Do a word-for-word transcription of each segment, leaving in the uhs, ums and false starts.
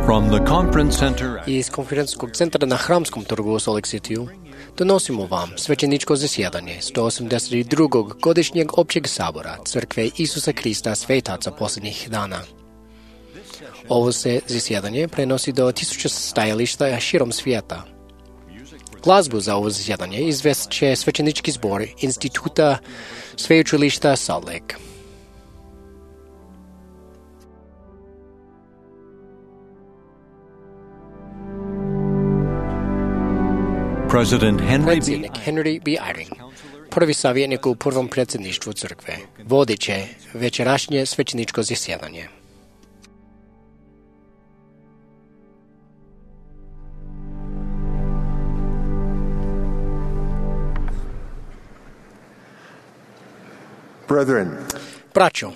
From the conference center Из конференцскog центра на Храмском торгу Солик Ситiju доносимо вам свеченичко засjedanje сто osamdeset drugog godišnjeg općeg sabora Crkve Isusa Krista Svetaca posljednjih dana. Ovo se zasjedanje prenosi do tisuća stajališta širom svijeta. Glazbu za ovo zasjedanje izvest će svećenički zbor Instituta Sveučilišta Salt Lake. President Henry B. Predsjednik Henry B. Eyring, prvi savjetnik u prvom predsjedništvu crkve, vodit će večerašnje svećeničko zasjedanje. Brethren, Braćo,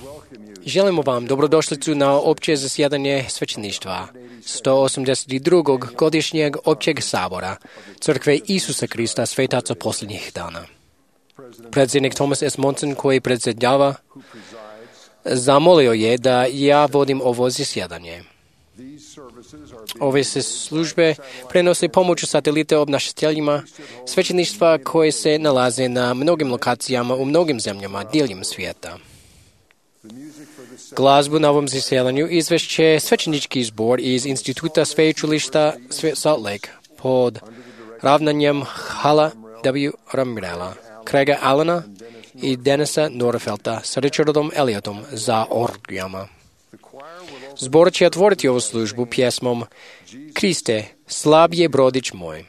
želimo vam dobrodošlicu na opće zasjedanje svećeništva sto osamdeset drugog godišnjeg općeg sabora Crkve Isusa Krista Svetaca posljednjih dana. Predsjednik Thomas S. Monson, koji predsjedava, zamolio je da ja vodim ovo zasjedanje. Ove se službe prenose pomoću satelite obnašateljima svećeništva koje se nalaze na mnogim lokacijama u mnogim zemljama diljem svijeta. Glazbu na ovom zasjedanju izvešće svećenički zbor iz Instituta Sveučilišta Salt Lake pod ravnanjem Hala W. Ramrela, Craiga Allena i Denisa Norfelta sa Richardom Elliotom za orgijama. Zbor će otvoriti ovu službu pjesmom Kriste, slab je brodić moj.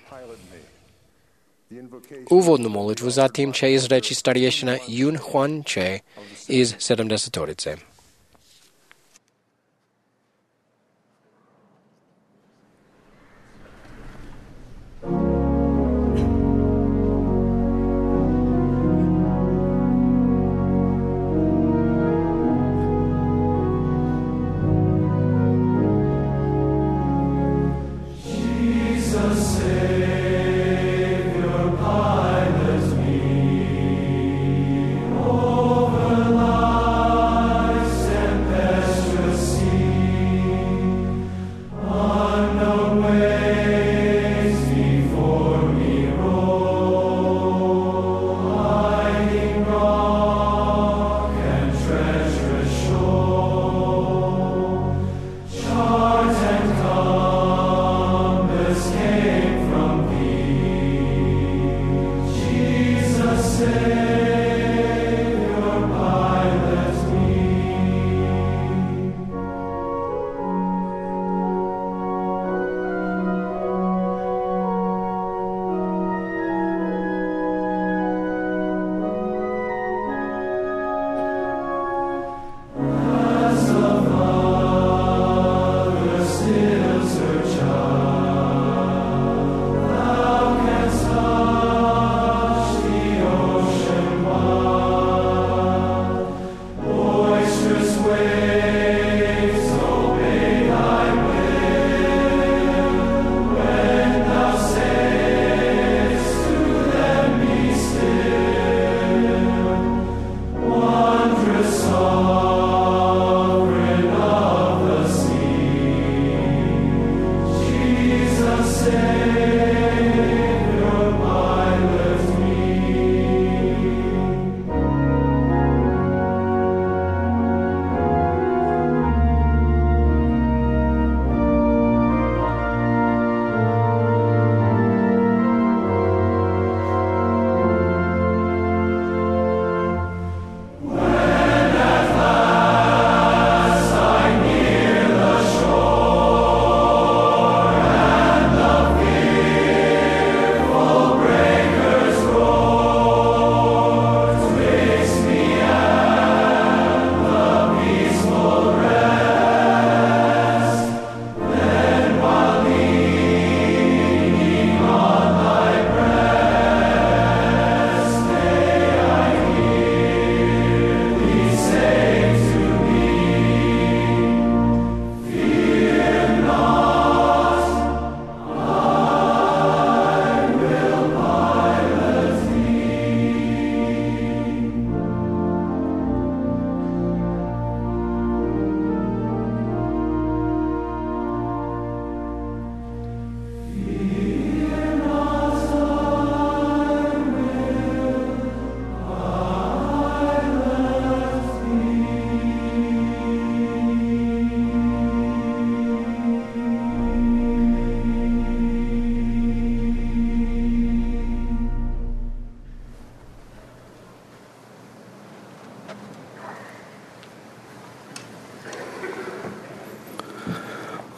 Uvodnu molitvu zatim će izreći starješina Yun Huan Che iz sedamdesetorice. Over lies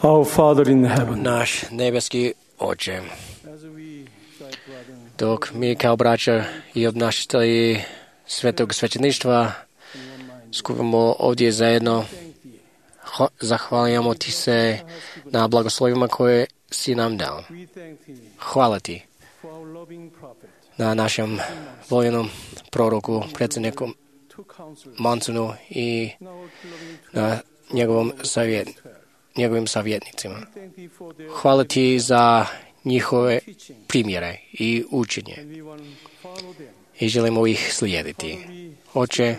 Our Father in heaven. Naš nebeski Oče, dok mi kao braća i obnašatelji svetog svećeništva skupimo ovdje zajedno, zahvaljujemo ti se na blagoslovima koje si nam dao. Hvala ti na našem voljenom proroku, predsjedniku Mansonu i na njegovom savjet, njegovim savjetnicima. Hvala ti za njihove primjere i učenje i želimo ih slijediti. Oče,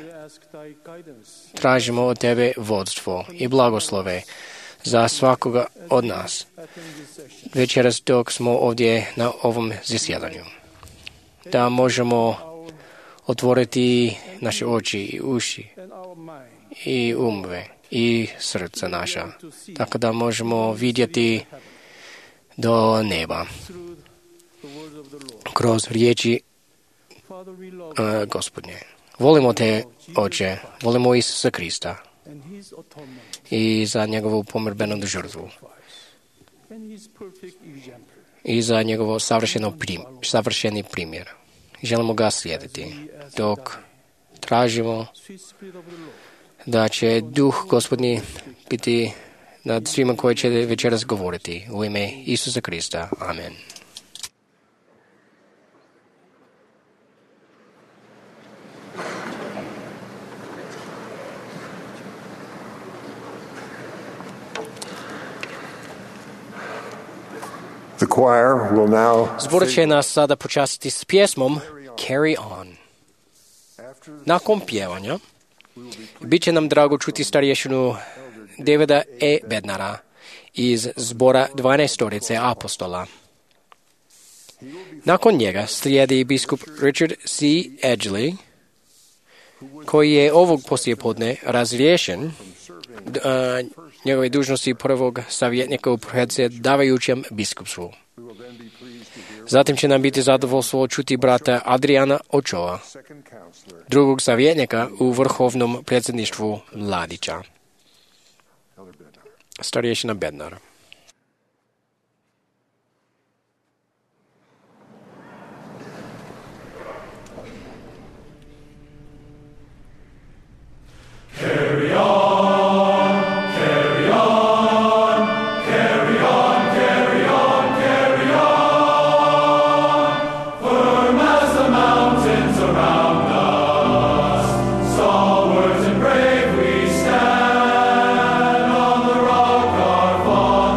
tražimo od tebe vodstvo i blagoslove za svakoga od nas večeras dok smo ovdje na ovom zasjedanju. Da možemo otvoriti naše oči i uši i umove i srca naša, tako da možemo vidjeti do neba kroz riječi uh, Gospodnje. Volimo te, Oče, volimo Isusa Krista i za njegovu pomirbenu žrtvu i za njegovo savršeno prim, savršeni primjer. Želimo ga slijediti dok tražimo da će duh Gospodnji biti nad svima koji će večeras govoriti. U ime Isusa Krista. Amen. Zbor će nas sada počastiti s pjesmom Carry On. Nakon pjevanja bit će nam drago čuti starješinu Davida E. Bednara iz zbora dvanaestorice apostola. Nakon njega slijedi biskup Richard C. Edgley, koji je ovog poslijepodne razriješen njegove dužnosti prvog savjetnika u predsjedavajućem biskupstvu. Zatim će nam biti zadovoljstvo čuti brata Adriana Ochoa, drugog savjetnika u vrhovnom predsjedništvu Mladića. Starješina Bednar. Carry on, carry on, carry on, carry on, carry on. Firm as the mountains around us, stalwart and brave we stand on the rock our Father.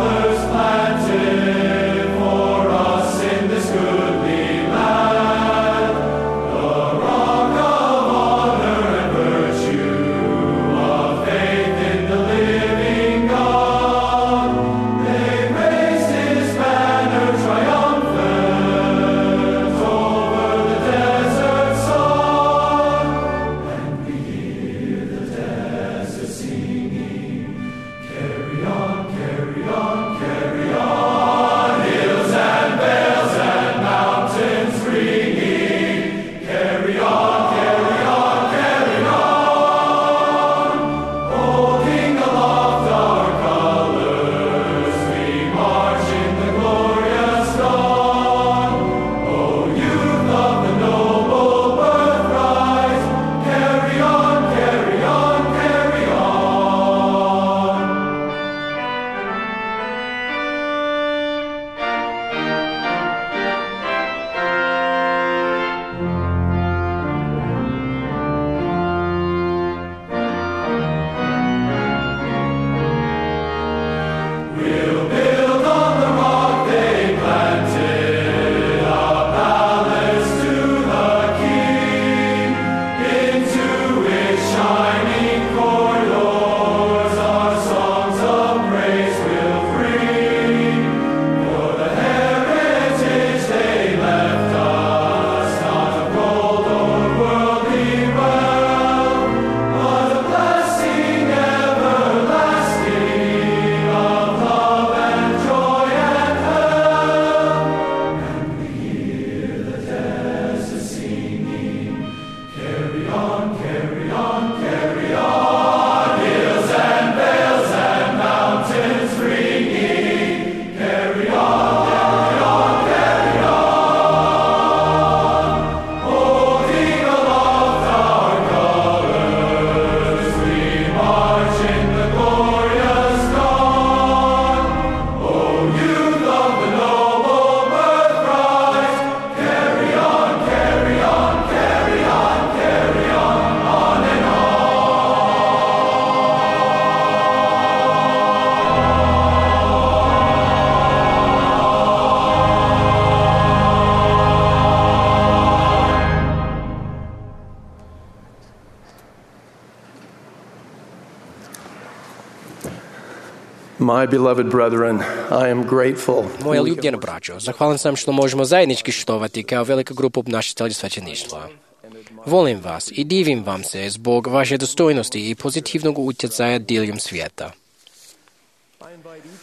My beloved brethren, I am grateful. Moja ljubljena braćo, zahvalan sam što možemo zajednički štovati kao velika grupa obnašatelja svećeništva. Volim vas i divim vam se zbog vaše dostojnosti i pozitivnog utjecaja diljem svijeta.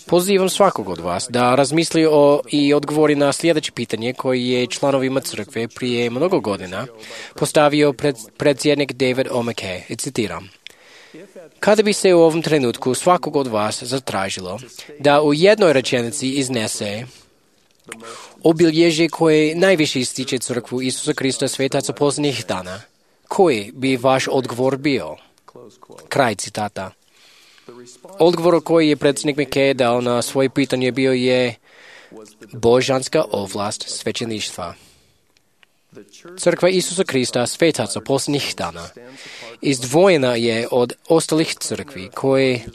Pozivam svakog od vas da razmisli o i odgovori na sljedeće pitanje koje je članovima crkve prije mnogo godina postavio pred, predsjednik David O. McKay. I citiram: kada bi se u ovom trenutku svakog od vas zatražilo da u jednoj rečenici iznese obilježje koje najviše ističe crkvu Isusa Krista svetaca posljednjih dana, koji bi vaš odgovor bio? Kraj citata. Odgovor koji je predsjednik McKay dao na svoje pitanje bio je božanska ovlast svećeništva. Crkva Isusa Krista svetaca posljednjih dana izdvojena je od ostalih crkvi koje,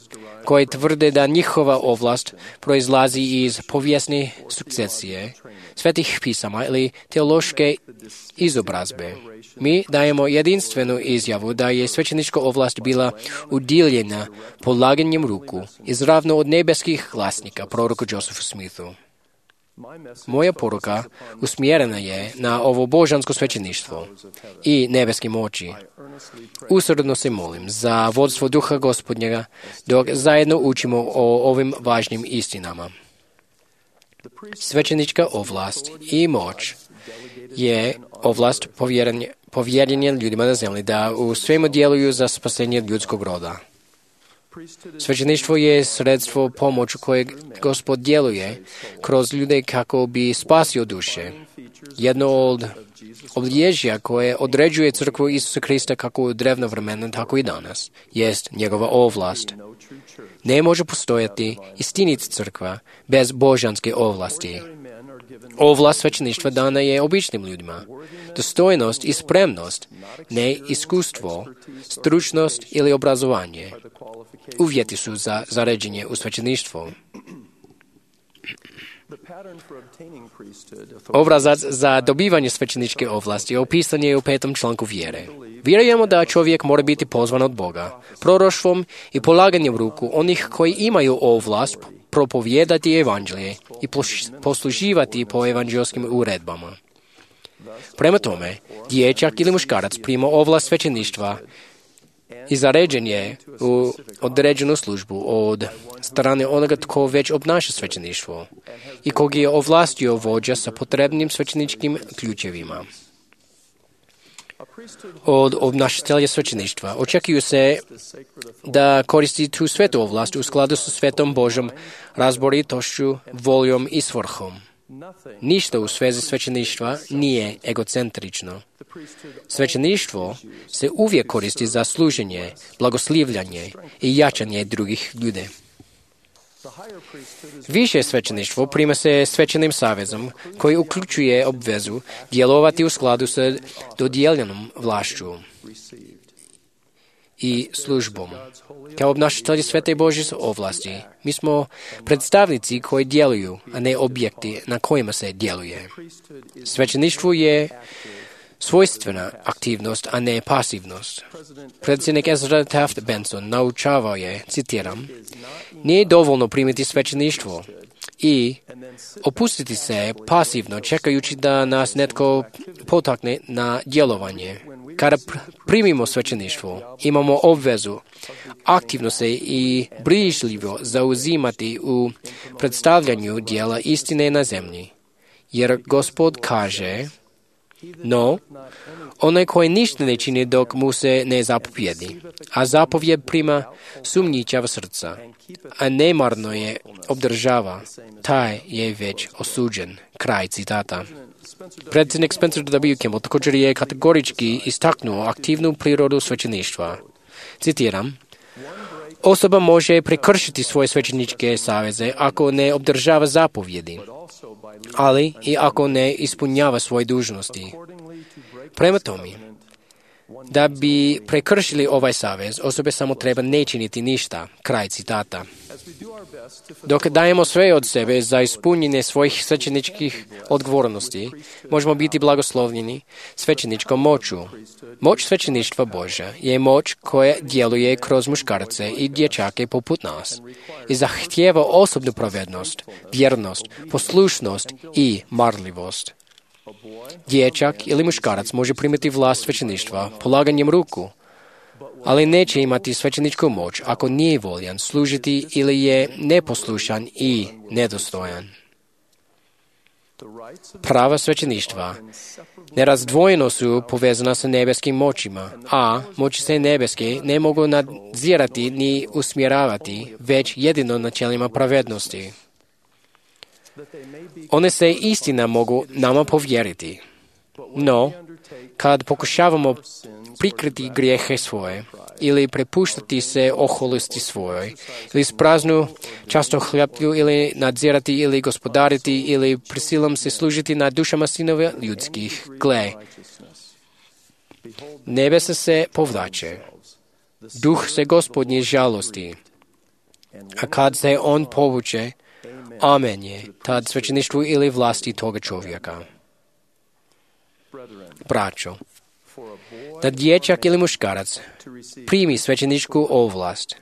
koje tvrde da njihova ovlast proizlazi iz povijesne sukcesije, svetih pisama ili teološke izobrazbe. Mi dajemo jedinstvenu izjavu da je svećenička ovlast bila udjeljena polaganjem ruku izravno od nebeskih glasnika, proroku Josephu Smithu. Moja poruka usmjerena je na ovo božansko svećeništvo i nebeske moći. Usrdno se molim za vodstvo Duha Gospodnjega dok zajedno učimo o ovim važnim istinama. Svećenička ovlast i moć je ovlast povjerenja ljudima na zemlji da u svemu djeluju za spasenje ljudskog roda. Svećeništvo je sredstvo pomoću kojeg Gospod djeluje kroz ljude kako bi spasio duše. Jedno od obilježja koje određuje crkvu Isusa Krista kako u drevno vremena, tako i danas, jest njegova ovlast. Ne može postojati istinita crkva bez božanske ovlasti. Ovlast svećeništva dana je običnim ljudima. Dostojnost i spremnost, ne iskustvo, stručnost ili obrazovanje. Uvjeti su za zaređenje u svećeništvo. Obrazac za dobivanje svećeničke ovlasti opisan je u petom članku vjere. Vjerujemo da čovjek mora biti pozvan od Boga, proroštvom i polaganjem ruku onih koji imaju ovlast propovijedati evanđelje i posluživati po evanđelskim uredbama. Prema tome, dječak ili muškarac prima ovlast svećeništva i zaređen je u određenu službu od strane onoga tko već obnaša svećeništvo i kog je ovlastio vođa sa potrebnim svećeničkim ključevima. Od obnašatelja svećeništva očekuju se da koristi tu svetu ovlast u skladu sa svetom Božom razboritošću, voljom i svrhom. Ništa u svezi svećeništva nije egocentrično. Svećeništvo se uvijek koristi za služenje, blagoslivljanje i jačanje drugih ljudi. Više svećeništvo prima se svećenim savezom koji uključuje obvezu djelovati u skladu sa dodijeljenom vlašću i službom. Kao obnašatelji svete Božje ovlasti, mi smo predstavnici koji djeluju, a ne objekti na kojima se djeluje. Svećeništvo je svojstvena aktivnost, a ne pasivnost. Predsjednik Ezra Taft Benson naučavao je, citiram, nije dovoljno primiti svećeništvo i opustiti se pasivno čekajući da nas netko potakne na djelovanje. Kada primimo svećeništvo, imamo obvezu aktivno se i brižljivo zauzimati u predstavljanju dijela istine na zemlji. Jer Gospod kaže, no, onaj koji ništa ne čini dok mu se ne zapovjedi, a zapovjed prima sumnjičava srca, a nemarno je obdržava, taj je već osuđen. Kraj citata. Predsjednik Spencer W. Kimball također je kategorički istaknuo aktivnu prirodu svećeništva. Citiram, osoba može prekršiti svoje svećeničke saveze ako ne obdržava zapovjedi, ali i ako ne ispunjava svoje dužnosti. Prema tome, Da bi prekršili ovaj savez, osobe samo treba ne činiti ništa. Kraj citata. Dok dajemo sve od sebe za ispunjenje svojih svećeničkih odgovornosti, možemo biti blagoslovljeni svećeničkom moću. Moć svećeništva Božja je moć koja djeluje kroz muškarce i dječake poput nas i zahtijeva osobnu pravednost, vjernost, poslušnost i marljivost. Dječak ili muškarac može primiti vlast svećeništva polaganjem ruku, ali neće imati svećeničku moć ako nije voljan služiti ili je neposlušan i nedostojan. Prava svećeništva nerazdvojeno su povezana sa nebeskim moćima, a moći se nebeske ne mogu nadzirati ni usmjeravati, već jedino načelima pravednosti. One se istina mogu nama povjeriti. No, kad pokušavamo prikriti grijehe svoje ili prepuštati se oholosti svojoj, ili spraznu často hljaplju ili nadzirati ili gospodariti ili prisilom se služiti nad dušama sinova ljudskih, gle, nebesa se povlače, duh se Gospodnji žalosti, a kad se on povuče, amen je tad svećeništvu ili vlasti toga čovjeka. Braćo, da dječak ili muškarac primi svećeničku ovlast,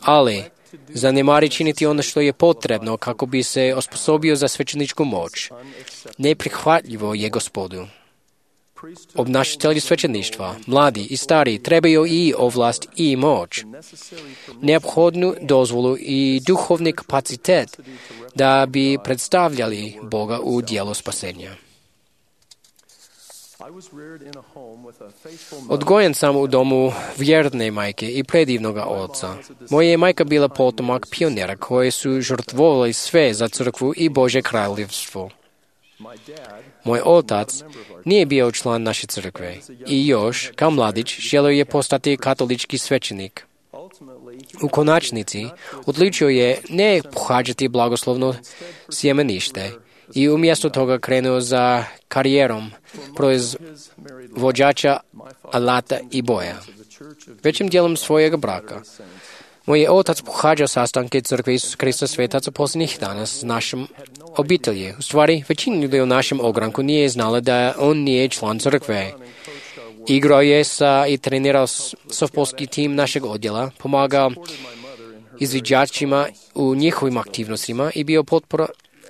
ali zanemari činiti ono što je potrebno kako bi se osposobio za svećeničku moć, neprihvatljivo je Gospodu. Obnašatelji svećeništva, mladi i stari, trebaju i ovlast i moć, neophodnu dozvolu i duhovni kapacitet da bi predstavljali Boga u djelu spasenja. Odgojen sam u domu vjerne majke i predivnoga oca. Moja je majka bila potomak pionera koji su žrtvovali sve za crkvu i Božje kraljevstvo. Moj otac nije bio član naše crkve i još, kao mladić, želio je postati katolički svećenik. U konačnici, odlučio je ne pohađati blagoslovno sjemenište i umjesto toga krenuo za karijerom proizvođača alata i boja. Većim dijelom svojeg braka, moj je otac pohađao sastanke crkve Isusa Krista svetaca posljednjih dana s našom obitelji. U stvari, većina ljudi u našem ogranku nije znala da on nije član crkve. Igrao je sa i trenirao softballski tim našeg odjela, pomagao izviđačima u njihovim aktivnostima i bio potpora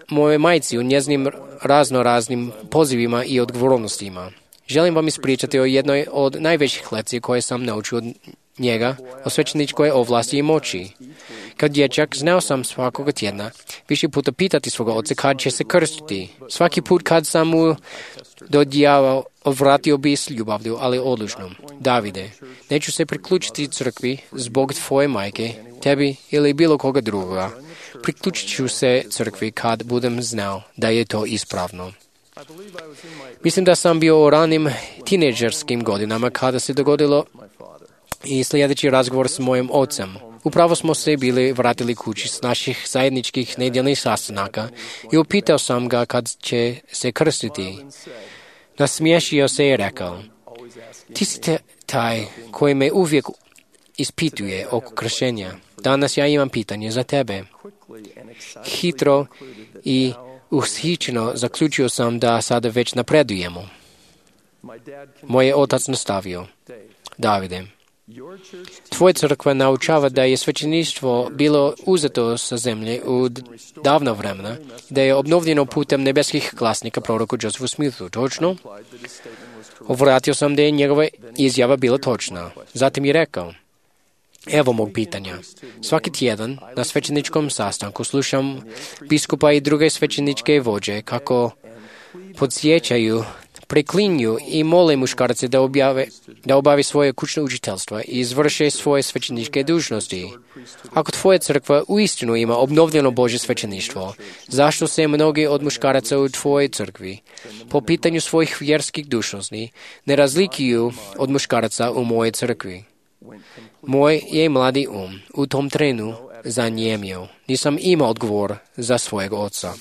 moje majci u njezinim raznoraznim pozivima i odgovornostima. Želim vam ispričati o jednoj od najvećih lekcija koje sam naučio od njega, o svećeničkoj ovlasti i moći. Kao dječak znao sam svakoga tjedna više puta pitati svoga oca kad će se krstiti. Svaki put kad sam mu dodijavao, odvratio bi s ljubavlju, ali odlučnom. Davide, neću se priključiti crkvi zbog tvoje majke, tebi ili bilo koga drugoga. Priključit ću se crkvi kad budem znao da je to ispravno. Mislim da sam bio u ranim tinejdžerskim godinama kada se dogodilo i sljedeći razgovor s mojim ocem. Upravo smo se bili vratili kući s naših zajedničkih nedjeljnih sastanaka i upitao sam ga kad će se krstiti. Nasmiješio se i rekao, ti si te taj koji me uvijek ispituje oko kršenja. Danas ja imam pitanje za tebe. Hitro i ushićeno zaključio sam da sada već napredujemo. Moj je otac nastavio, Davide, tvoja crkva naučava da je svećeništvo bilo uzeto sa zemlje u davno vremena, da je obnovljeno putem nebeskih glasnika proroku Josephu Smithu. Točno? Ovratio sam da je njegova izjava bila točna. Zatim je rekao, evo mog pitanja. Svaki tjedan na svećeničkom sastanku slušam biskupa i druge svećeničke vođe kako podsjećaju, preklinju i mole muškarce da, objave, da obavi svoje kućno učiteljstvo i izvrše svoje svećeničke dužnosti. Ako tvoja crkva uistinu ima obnovljeno Božje svećeništvo, zašto se mnogi od muškaraca u tvojoj crkvi po pitanju svojih vjerskih dužnosti ne razlikuju od muškaraca u mojoj crkvi? Moj je mladi um u tom trenu zanjemio. Nisam imao odgovor za svojeg oca.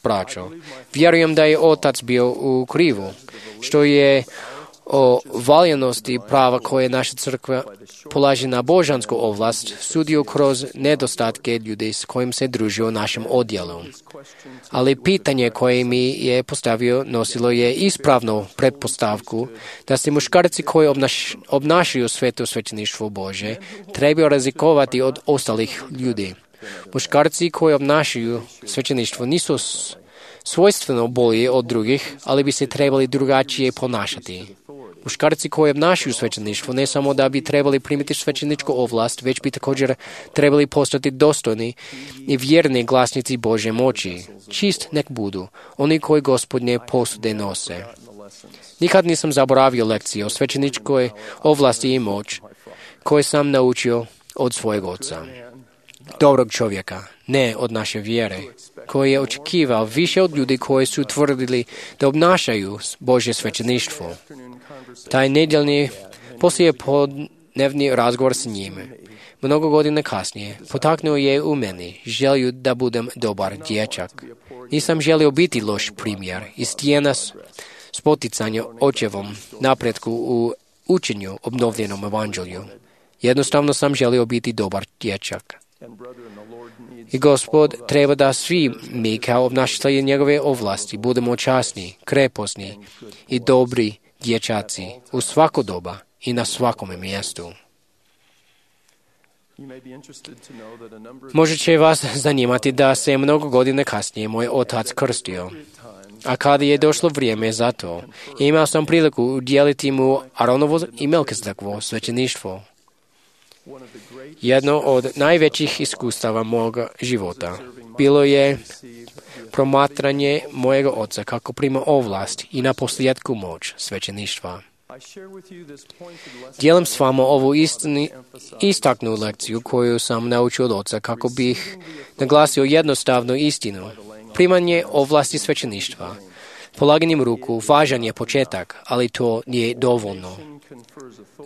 Braćo, vjerujem da je otac bio u krivu, što je o valjanosti prava koje naša crkva polaže na božansku ovlast sudio kroz nedostatke ljudi s kojim se druži u našem odjelu. Ali pitanje koje mi je postavio nosilo je ispravnu pretpostavku da se muškarci koji obnaš, obnašaju sveto svećeništvo Bože trebaju razlikovati od ostalih ljudi. Muškarci koji obnašaju svećeništvo nisu svojstveno bolji od drugih, ali bi se trebali drugačije ponašati. Muškarci koji obnašaju svećeništvo ne samo da bi trebali primiti svećeničku ovlast, već bi također trebali postati dostojni i vjerni glasnici Božje moći. Čist nek budu, oni koji Gospodnje posude nose. Nikad nisam zaboravio lekcije o svećeničkoj ovlasti i moć koje sam naučio od svojeg oca. Dobrog čovjeka, ne od naše vjere, koji je očekivao više od ljudi koji su tvrdili da obnašaju Božje svećeništvo. Taj nedjeljni poslije podnevni razgovor s njime, mnogo godina kasnije, potaknuo je u meni želju da budem dobar dječak. Nisam želio biti loš primjer i stijena spoticanja očevom napretku u učenju obnovljenom evanđelju. Jednostavno sam želio biti dobar dječak. I Gospod treba da svi mi kao obnašatelji njegove ovlasti budemo časni, kreposni i dobri dječaci u svako doba i na svakome mjestu. Možda će vas zanimati da se mnogo godina kasnije moj otac krstio. A kada je došlo vrijeme za to, imao sam priliku udjeliti mu Aronovo i Melkizedekovo svećeništvo. Jedno od najvećih iskustava moga života bilo je promatranje mojega oca kako prima ovlast i na posljedku moć svećeništva. Dijelim s vama ovu istini, istaknu lekciju koju sam naučio od oca kako bih naglasio jednostavnu istinu. Primanje ovlasti svećeništva, polaganjem ruku, važan je početak, ali to nije dovoljno.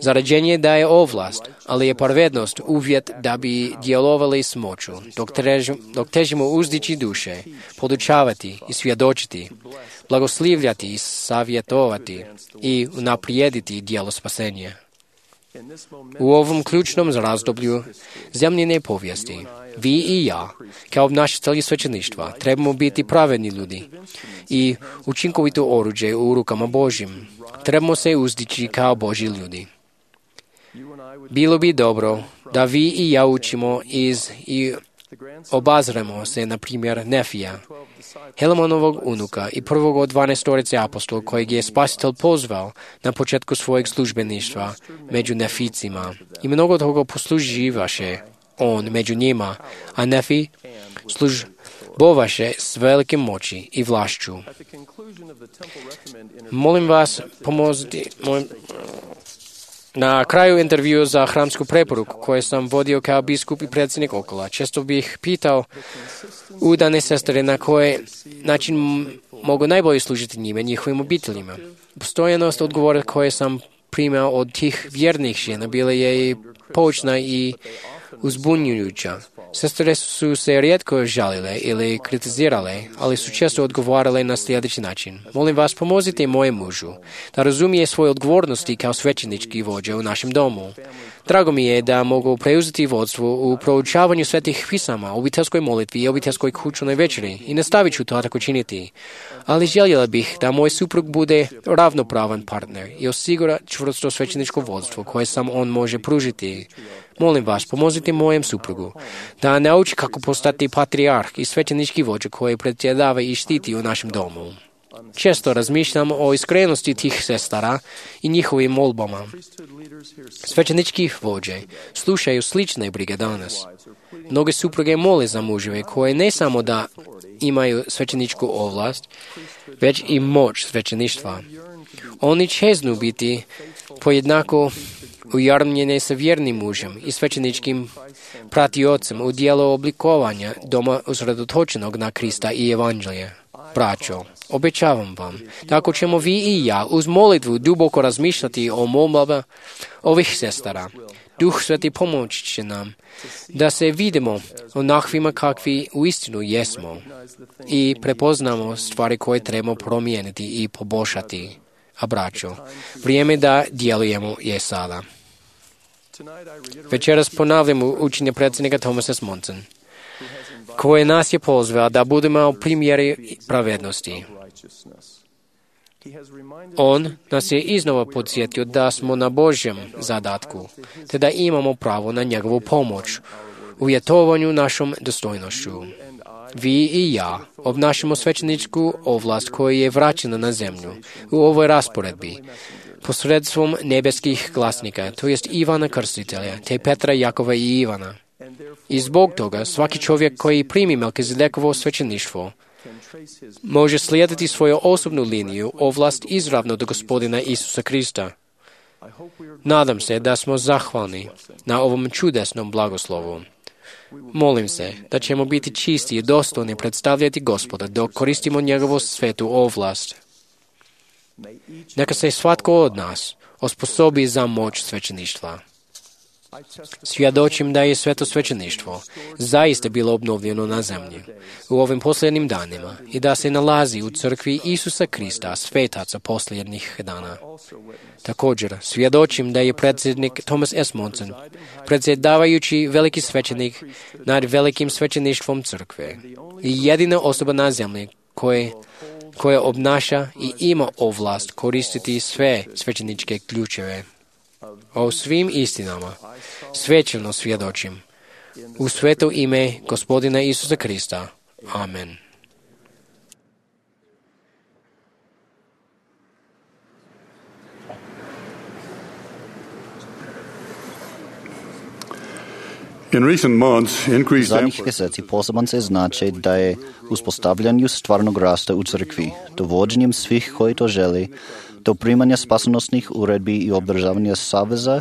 Zarađenje daje ovlast, ali je pravednost uvjet da bi djelovali s moću, dok, tež, dok težimo uzdići duše, podučavati i svjedočiti, blagoslivljati i savjetovati i unaprijediti djelo spasenja. U ovom ključnom razdoblju zemljine povijesti, vi i ja, kao obnašatelji svećeništva, trebamo biti pravedni ljudi i učinkovito oruđe u rukama Božjim. Trebamo se uzdići kao Božji ljudi. Bilo bi dobro da vi i ja učimo iz i obazremo se, na primjer, Nefija, Helamonovog unuka i prvog od dvanaestorice apostola kojeg je Spasitelj pozvao na početku svojeg službeništva među Neficima. I mnogo toga posluživaše on među njima, a Nefi službovaše s velikim moći i vlašću. Molim vas, pomoziti moj... Na kraju intervjua za hramsku preporuku koje sam vodio kao biskup i predsjednik Okola, često bih pitao udane sestre na koje način mogu najbolje služiti njime, njihovim obiteljima. Postojanost odgovora koje sam primao od tih vjernih žena bila je i poučna i uzbunjujuća. Sestre su se rijetko žalile ili kritizirale, ali su često odgovarale na sljedeći način. Molim vas, pomozite mojem mužu da razumije svoje odgovornosti kao svećenički vođa u našem domu. Drago mi je da mogu preuzeti vodstvo u proučavanju svetih pisama, obiteljskoj molitvi i obiteljskoj kućnoj večeri i nastavit ću to tako činiti. Ali željela bih da moj suprug bude ravnopravan partner i osigura čvrsto svećeničko vodstvo koje sam on može pružiti. Molim vas, pomozite mojem suprugu da nauči kako postati patrijarh i svećenički vođa koji predsjedava i štiti u našem domu. Često razmišljam o iskrenosti tih sestara i njihovim molbama. Svećenički vođe slušaju slične brige danas. Mnoge supruge mole za muževe koje ne samo da imaju svećeničku ovlast, već i moć svećeništva. Oni čeznu biti pojednako ujarmljene sa vjernim mužem i svećeničkim pratiocem u dijelu oblikovanja doma usredotočenog na Krista i Evanđelje. Braćo, obećavam vam, tako ćemo vi i ja uz molitvu duboko razmišljati o molbama ovih sestara. Duh Sveti pomoći će nam da se vidimo onakvima kakvi uistinu jesmo i prepoznamo stvari koje trebamo promijeniti i poboljšati. A braćo, vrijeme da djelujemo je sada. Večeras ponavljamo učenje predsjednika Thomasa S. Monson, koje nas je pozvao da budemo primjeri pravednosti. On nas je iznova podsjetio da smo na Božjem zadatku, te da imamo pravo na njegovu pomoć u uvjetovanju našom dostojnošću. Vi i ja obnašamo svećeničku ovlast koja je vraćena na zemlju u ovoj rasporedbi posredstvom nebeskih glasnika, to jest Ivana Krstitelja, te Petra, Jakova i Ivana. I zbog toga svaki čovjek koji primi Melkizedekovo svećeništvo može slijediti svoju osobnu liniju ovlast izravno do Gospodina Isusa Krista. Nadam se da smo zahvalni na ovom čudesnom blagoslovu. Molim se da ćemo biti čisti i dostojni predstavljati Gospoda dok koristimo njegovu svetu ovlast. Neka se svatko od nas osposobi za moć svećeništva. Svjedočim da je sveto svećeništvo zaista bilo obnovljeno na zemlji u ovim posljednjim danima i da se nalazi u crkvi Isusa Krista, svetaca posljednjih dana. Također, svjedočim da je predsjednik Thomas S. Monson, predsjedavajući veliki svećenik nad velikim svećeništvom crkve i jedina osoba na zemlji koje, koja obnaša i ima ovlast koristiti sve svećeničke ključeve. O svim istinama svećeno svjedočim u sveto ime Gospodina Isusa Krista. Amen. Zadnjih mjeseci poseban se znači da je uspostavljanju stvarnog rasta u crkvi, dovođenjem svih koji to želi, do primanja spasonosnih uredbi i obdržavanja saveza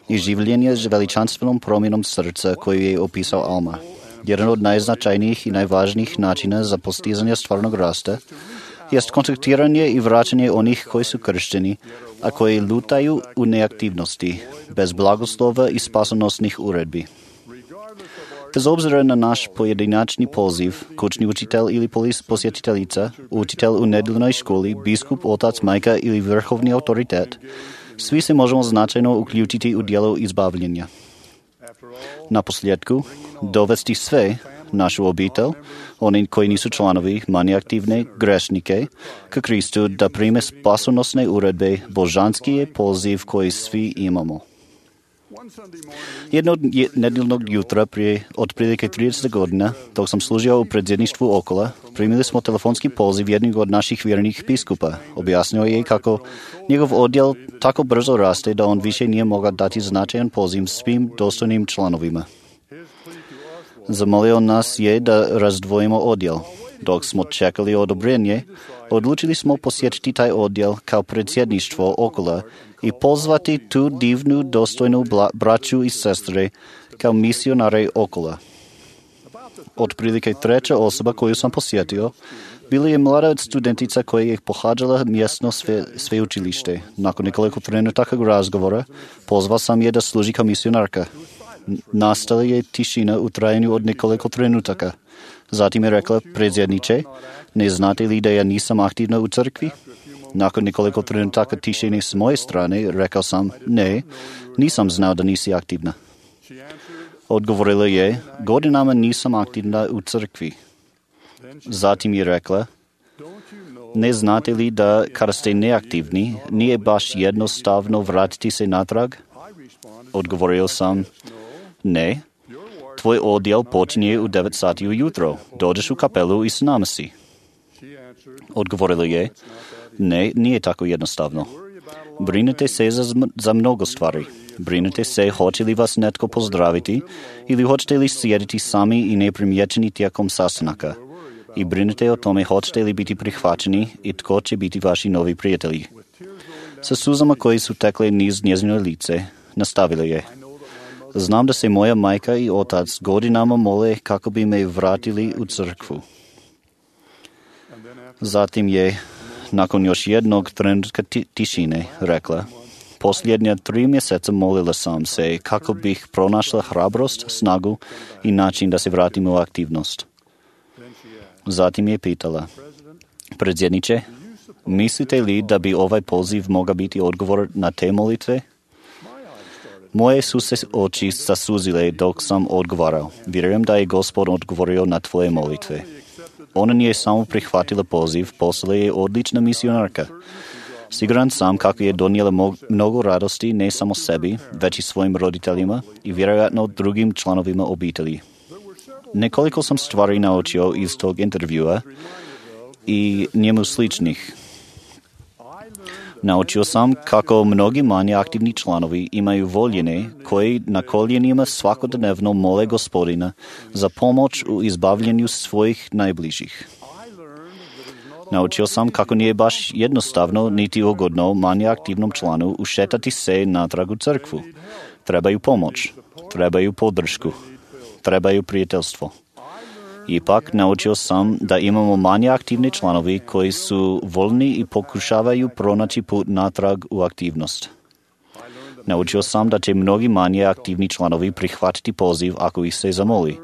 i življenja s veličanstvenom promjenom srca koju je opisao Alma. Jedan od najznačajnijih i najvažnijih načina za postizanje stvarnog rasta jest kontaktiranje i vraćanje onih koji su kršteni, a koji lutaju u neaktivnosti, bez blagoslova i spasonosnih uredbi. Bez obzira na naš pojedinačni poziv, kućni učitelj ili posjetiteljica, učitelj u nedeljnoj školi, biskup, otac, majka ili vrhovni autoritet, svi se možemo značajno uključiti u djelo izbavljenja. Na posljedku, dovesti sve, našu obitelj, oni koji nisu članovi, manje aktivne, grešnike, k Kristu da prime spasonosne uredbe, božanski je poziv koji svi imamo. Jednog nedeljnog jutra prije otprilike trideset godina, dok sam služio u predsjedništvu Okola, primili smo telefonski poziv jednog od naših vjernih biskupa. Objasnio je kako njegov odjel tako brzo raste da on više nije mogao dati značajan poziv svim dostojnim članovima. Zamolio nas je da razdvojimo odjel. Dok smo čekali odobrenje, odlučili smo posjetiti taj odjel kao predsjedništvo Okola i pozvati tu divnu, dostojnu bla, braću i sestre kao misionare Okola. Otprilike treća osoba koju sam posjetio bila je mlada studentica koja je pohađala mjesno sve, sveučilište. Nakon nekoliko trenutaka razgovora pozvao sam je da služi kao misionarka. Nastala je tišina u trajanju od nekoliko trenutaka. Zatim je rekla: predsjedniče, ne znate li da ja nisam aktivna u crkvi? Nakon nekoliko trenutaka tišine s moje strane, rekao sam: ne, nisam znao da nisi aktivna. Odgovorila je: godinama nisam aktivna u crkvi. Zatim je rekla: ne znate li da kada ste neaktivni, nije baš jednostavno vratiti se natrag? Odgovorio sam: ne, tvoj odjel počinje u devet sati ujutro. Dođeš u kapelu i s nama si. Odgovorila je: ne, nije tako jednostavno. Brinete se za, za mnogo stvari. Brinete se hoće li vas netko pozdraviti ili hoćete li sjediti sami i neprimjećeni tijekom sastanaka. I brinete o tome hoćete li biti prihvaćeni i tko će biti vaši novi prijatelji. Sa suzama koji su tekle niz njezino lice, nastavila je: znam da se moja majka i otac godinama mole kako bi me vratili u crkvu. Zatim je, nakon još jednog trenutka ti- tišine, rekla: posljednja tri mjeseca molila sam se kako bih pronašla hrabrost, snagu i način da se vratim u aktivnost. Zatim je pitala: predsjedniče, Mislite li da bi ovaj poziv mogao biti odgovor na te molitve? Moje su se oči zasuzile dok sam odgovarao. Vjerujem da je Gospod odgovorio na tvoje molitve. Ona nije samo prihvatila poziv, postala je odlična misionarka. Siguran sam kako je donijela mnogo radosti ne samo sebi, već i svojim roditeljima i vjerojatno drugim članovima obitelji. Nekoliko sam stvari naučio iz tog intervjua i njemu sličnih. Naučio sam kako mnogi manje aktivni članovi imaju voljene koji na koljenima svakodnevno mole Gospodina za pomoć u izbavljanju svojih najbližih. Naučio sam kako nije baš jednostavno niti ugodno manje aktivnom članu ušetati se natrag u crkvu. Trebaju pomoć, trebaju podršku, trebaju prijateljstvo. Ipak naučio sam da imamo manje aktivni članovi koji su voljni i pokušavaju pronaći put natrag u aktivnost. Naučio sam da će mnogi manje aktivni članovi prihvatiti poziv ako ih se zamoli.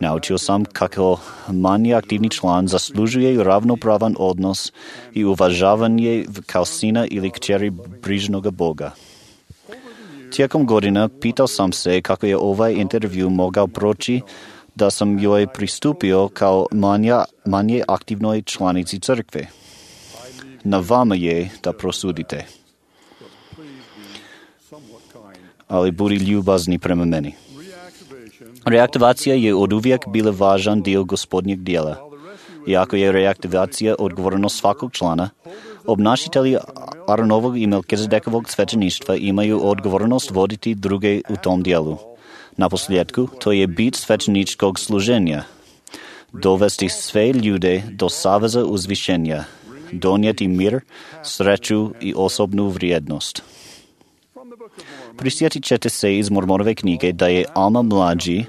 Naučio sam kako manje aktivni član zaslužuje ravnopravan odnos i uvažavanje kao sina ili kćeri brižnoga Boga. Tijekom godina pitao sam se kako je ovaj intervju mogao proći da sam joj pristupio kao manja, manje aktivnoj članici crkve. Na vama je da prosudite. Ali budi ljubazni prema meni. Reaktivacija je oduvijek bila važan dio Gospodnjeg dijela. Iako je reaktivacija odgovornost svakog člana, obnašitelji Aaronovog i Melkizedekovog svećeništva imaju odgovornost voditi druge u tom dijelu. Na posljedku, to je bit svećeničkog služenja. Dovesti sve ljude do saveza uzvišenja, donijeti mir, sreću i osobnu vrijednost. Prisjetit ćete se iz Mormonove knjige da je Alma mlađi,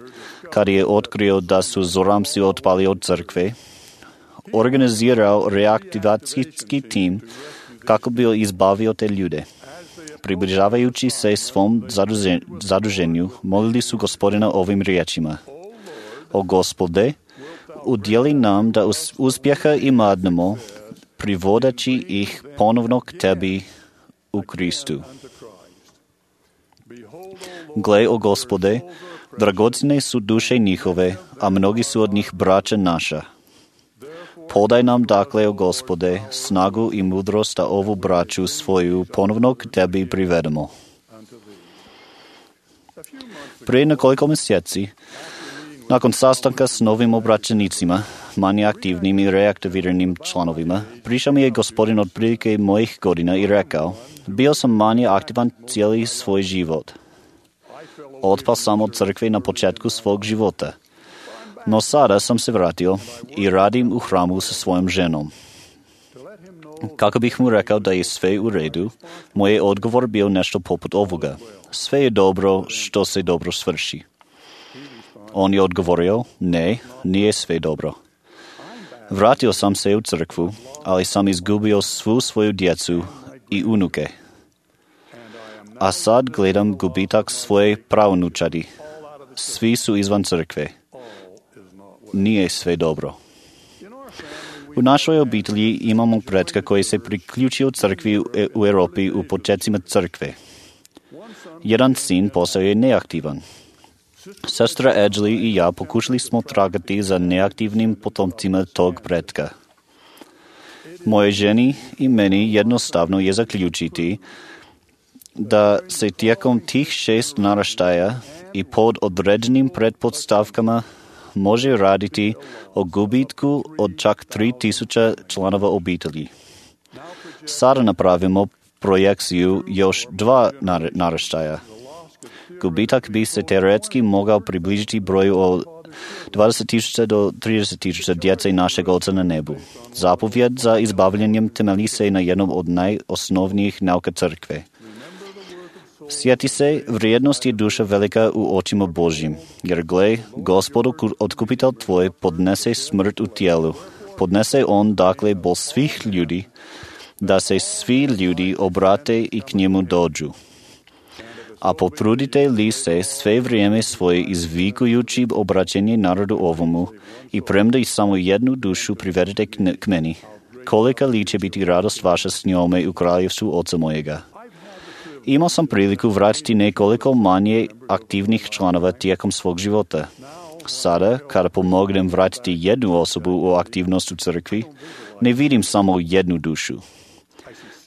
kad je otkrio da su Zoramsi otpali od crkve, organizirao reaktivacijski tim kako bi izbavio te ljude. Približavajući se svom zaduženju, molili su Gospodina ovim riječima. O Gospode, udjeli nam da uspjeha imadnemo, privodeći ih ponovno k tebi u Kristu. Gle, o Gospode, dragocjene su duše njihove, a mnogi su od njih braća naša. Podaj nam dakle, o Gospode, snagu i mudrost da ovu braću svoju ponovno k tebi privedemo. Prije nekoliko mjeseci, nakon sastanka s novim obraćenicima, manje aktivnim i reaktiviranim članovima, prišao mi je Gospodin od prilike mojih godina i rekao, bio sam manje aktivan cijeli svoj život. Otpao sam od crkve na početku svog života. No sada sam se vratio i radim u hramu sa svojom ženom. Kako bih mu rekao da je sve u redu, moj je odgovor bio nešto poput ovoga. Sve je dobro što se dobro svrši. On je odgovorio, ne, nije sve dobro. Vratio sam se u crkvu, ali sam izgubio svu svoju djecu i unuke. A sad gledam gubitak svoje pravnučadi. Svi su izvan crkve. Nije sve dobro. U našoj obitelji imamo pretka koji se priključio crkvi u Europi u početcima crkve. Jedan sin postao je neaktivan. Sestra Edgley i ja pokušali smo tragati za neaktivnim potomcima tog pretka. Moje ženi i meni jednostavno je zaključiti da se tijekom tih šest naraštaja i pod određenim pretpostavkama može raditi o gubitku od čak tri tisuće članova obitelji. Sada napravimo projekciju još dva naraštaja. Gubitak bi se teoretski mogao približiti broju od dvadeset tisuća do trideset tisuća djece našeg Oca na nebu. Zapovjed za izbavljanjem temelji se na jednom od najosnovnijih nauka crkve. Sjeti se, vrijednost je duša velika u očima Božjim, jer gle, Gospod otkupitelj tvoj podnese smrt u tijelu. Podnese on dakle bol svih ljudi, da se svi ljudi obrate i k njemu dođu. A potrudite li se sve vrijeme svoje izvikujući obraćenje narodu ovomu i premda i samo jednu dušu privedete k meni, kolika li će biti radost vaša s njome u kraljevstvu Oca mojega. Imao sam priliku vratiti nekoliko manje aktivnih članova tijekom svog života. Sada, kada pomognem vratiti jednu osobu u aktivnost u crkvi, ne vidim samo jednu dušu.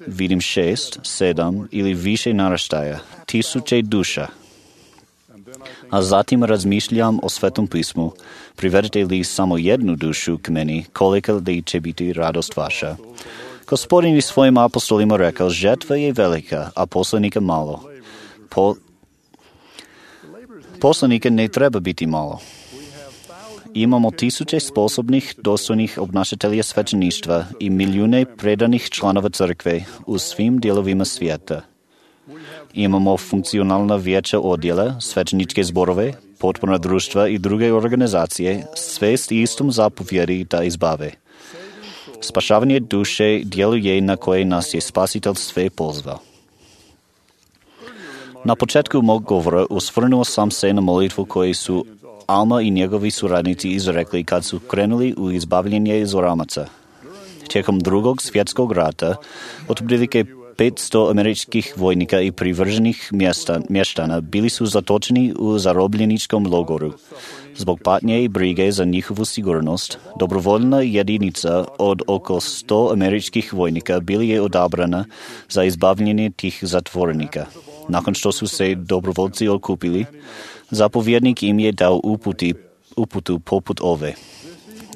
Vidim šest, sedam ili više naraštaja, tisuće duša. A zatim razmišljam o Svetom pismu, privedete li samo jednu dušu k meni, kolika li će biti radost vaša. Gospodin je svojim apostolima rekao, žetva je velika, a poslanika malo. Po... Poslanika ne treba biti malo. Imamo tisuće sposobnih, dostojnih obnašatelja svećeništva i milijune predanih članova crkve u svim dijelovima svijeta. Imamo funkcionalna vijeća odjela, svećeničke zborove, potporna društva i druge organizacije, sve s istom zapovjedi da izbave. Spašavanje duše djeluje na koje nas je Spasitelj sve pozvao. Na početku mog govora osvrnuo sam se na molitvu koju su Alma i njegovi suradnici izrekli kad su krenuli u izbavljenje Zoramaca. Tijekom drugog svjetskog rata, otprilike petsto američkih vojnika i privrženih mjesta, mještana bili su zatočeni u zarobljeničkom logoru. Zbog patnje i brige za njihovu sigurnost, dobrovoljna jedinica od oko sto američkih vojnika bili je odabrana za izbavljenje tih zatvorenika. Nakon što su se dobrovoljci okupili, zapovjednik im je dao uputi, uputu poput ove.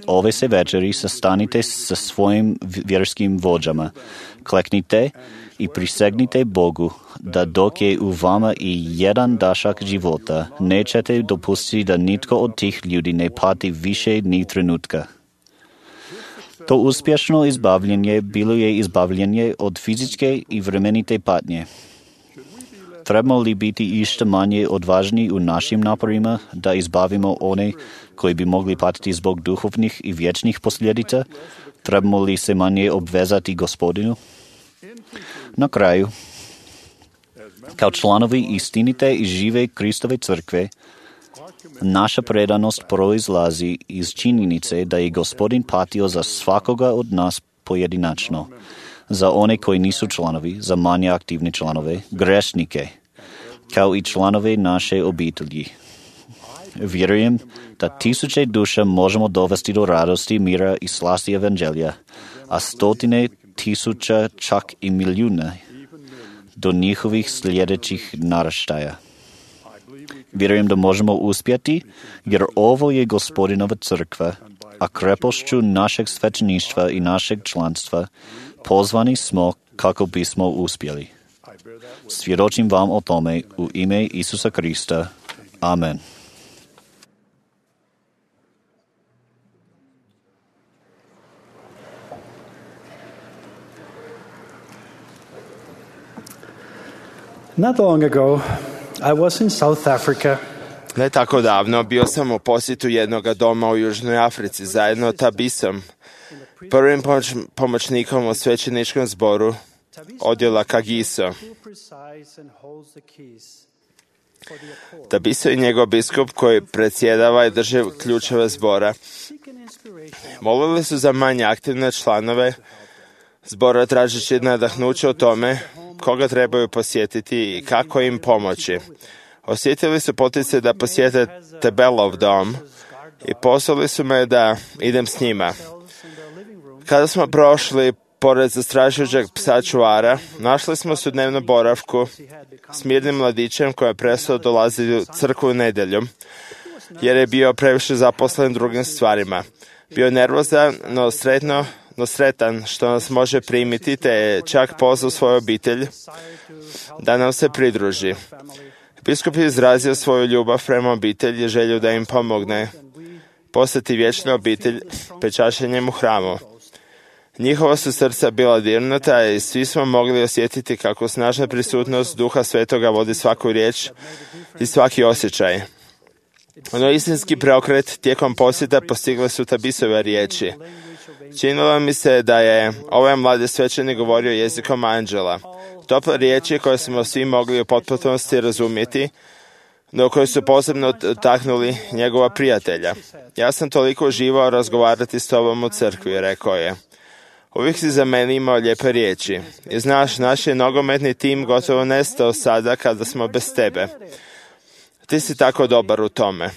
Ove se večeri sastanite sa svojim vjerskim vođama, kleknite i prisegnite Bogu da dok je u vama i jedan dašak života, nećete dopustiti da nitko od tih ljudi ne pati više ni trenutka. To uspješno izbavljenje bilo je izbavljenje od fizičke i vremenite patnje. Trebamo li biti išto manje odvažni u našim naporima da izbavimo one koji bi mogli patiti zbog duhovnih i vječnih posljedica? Trebamo li se manje obvezati Gospodinu? Na kraju, kao članovi istinite i žive Kristove crkve, naša predanost proizlazi iz činjenice da je Gospodin patio za svakoga od nas pojedinačno, za one koji nisu članovi, za manje aktivne članove, grešnike, kao i članove naše obitelji. Vjerujem da tisuće duša možemo dovesti do radosti, mira i slasti evanđelja, a stotine tisuća, čak i milijuna, do njihovih sljedećih naraštaja. Vjerujem da možemo uspjeti, jer ovo je Gospodinova crkva, a krepošću našeg svećeništva i našeg članstva pozvani smo kako bismo uspjeli. Svjedočim vam o tome u ime Isusa Krista. Amen. Not long ago, I was in South Africa. Ne tako davno bio sam u posjetu jednog doma u Južnoj Africi zajedno Tabisom, prvim pomoć, pomoćnikom u svećeničkom zboru odjela Kagiso. Tabiso je njegov biskup koji predsjedava i drži ključeve zbora. Molili su za manje aktivne članove zbora tražeći nadahnuće o tome koga trebaju posjetiti i kako im pomoći. Osjetili su poticaj da posjete Tebelov dom i poslali su me da idem s njima. Kada smo prošli pored zastrašujućeg psa čuvara, našli smo se u dnevnom boravku s mirnim mladićem koji je prestao dolaziti u crkvu nedjeljom, jer je bio previše zaposlen drugim stvarima. Bio je nervozan, no sretno, no sretan što nas može primiti, te je čak pozvao svoju obitelj da nam se pridruži. Biskup je izrazio svoju ljubav prema obitelji i želju da im pomogne postati vječna obitelj pečašenjem u hramu. Njihova su srca bila dirnuta i svi smo mogli osjetiti kako snažna prisutnost Duha Svetoga vodi svaku riječ i svaki osjećaj. Ono istinski preokret tijekom posjeta postigle su Tabisove riječi. Činilo mi se da je ovaj mladi svećenik govorio jezikom anđela. Tople riječi koje smo svi mogli u potpunosti razumjeti, no koji su posebno taknuli njegova prijatelja. Ja sam toliko uživao razgovarati s tobom u crkvi, rekao je. Uvijek si za mene imao lijepe riječi. I znaš, naš je nogometni tim gotovo nestao sada kada smo bez tebe. Ti si tako dobar u tome.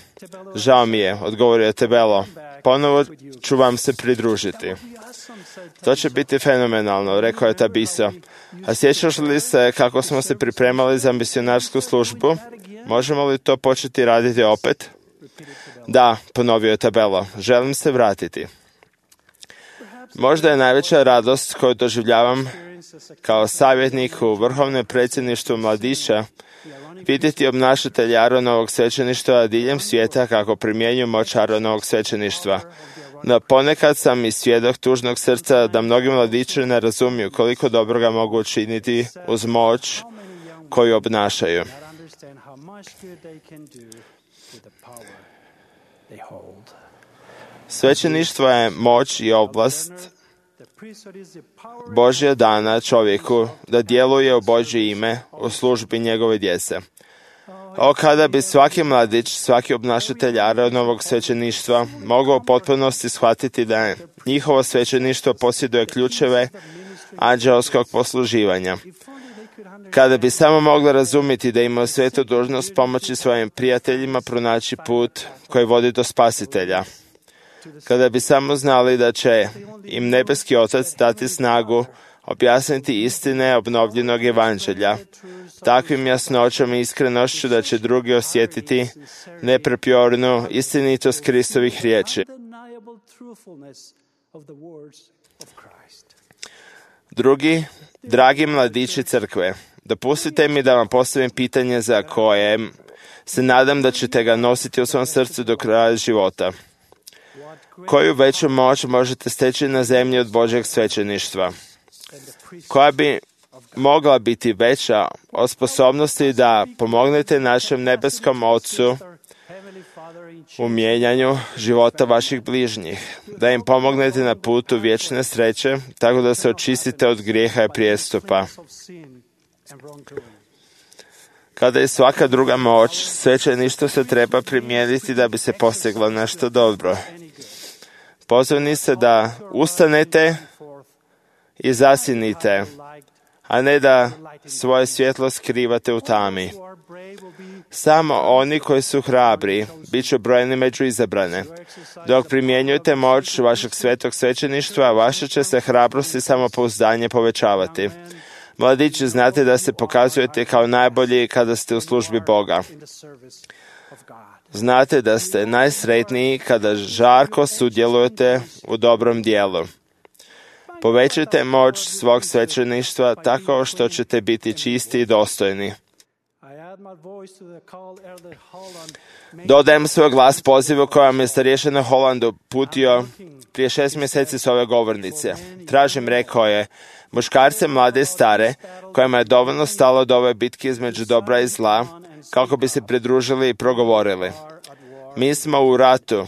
Žao mi je, odgovorio je Tebelo. Ponovo ću vam se pridružiti. To će biti fenomenalno, rekao je Tabiso. A sjećaš li se kako smo se pripremali za misionarsku službu? Možemo li to početi raditi opet? Da, ponovio je Tabelo. Želim se vratiti. Možda je najveća radost koju doživljavam kao savjetnik u vrhovnom predsjedništvu mladića vidjeti obnašatelja Aronovog svećeništva diljem svijeta kako primjenjuju moć Aronovog svećeništva. No ponekad sam i svjedok tužnog srca da mnogi mladići ne razumiju koliko dobroga mogu učiniti uz moć koju obnašaju. Svećeništvo je moć i oblast Božja dana čovjeku da djeluje u Božje ime u službi njegove djece. O, kada bi svaki mladić, svaki obnašatelj Aronovog svećeništva mogao u potpunosti shvatiti da njihovo svećeništvo posjeduje ključeve anđelskog posluživanja. Kada bi samo mogli razumjeti da imaju svetu dužnost pomoći svojim prijateljima pronaći put koji vodi do spasitelja. Kada bi samo znali da će im nebeski Otac dati snagu objasniti istine obnovljenog evanđelja, takvim jasnoćom i iskrenošću da će drugi osjetiti neprepjornu istinitost Kristovih riječi. Drugi, dragi mladići crkve, dopustite mi da vam postavim pitanje za koje se nadam da ćete ga nositi u svom srcu do kraja života. Koju veću moć možete steći na zemlji od Božjeg svećeništva? Koja bi mogla biti veća od sposobnosti da pomognete našem nebeskom Otcu u mijenjanju života vaših bližnjih, da im pomognete na putu vječne sreće, tako da se očistite od grijeha i prijestupa. Kada je svaka druga moć, svećeništvo se treba primijeniti da bi se postiglo nešto dobro. Pozvani se da ustanete i zasjenite, a ne da svoje svjetlo skrivate u tami. Samo oni koji su hrabri bit će brojni među izabrane. Dok primjenjujete moć vašeg svetog svećeništva, vaša će se hrabrost i samopouzdanje povećavati. Mladići, znate da se pokazujete kao najbolji kada ste u službi Boga. Znate da ste najsretniji kada žarko sudjelujete u dobrom dijelu. Povećajte moć svog svećeništva tako što ćete biti čisti i dostojni. Dodajem svoj glas pozivu kojom je starješina Holandu putio prije šest mjeseci s ove govornice. Tražim, rekao je, muškarce mlade i stare, kojima je dovoljno stalo do ove bitke između dobra i zla, kako bi se pridružili i progovorili. Mi smo u ratu.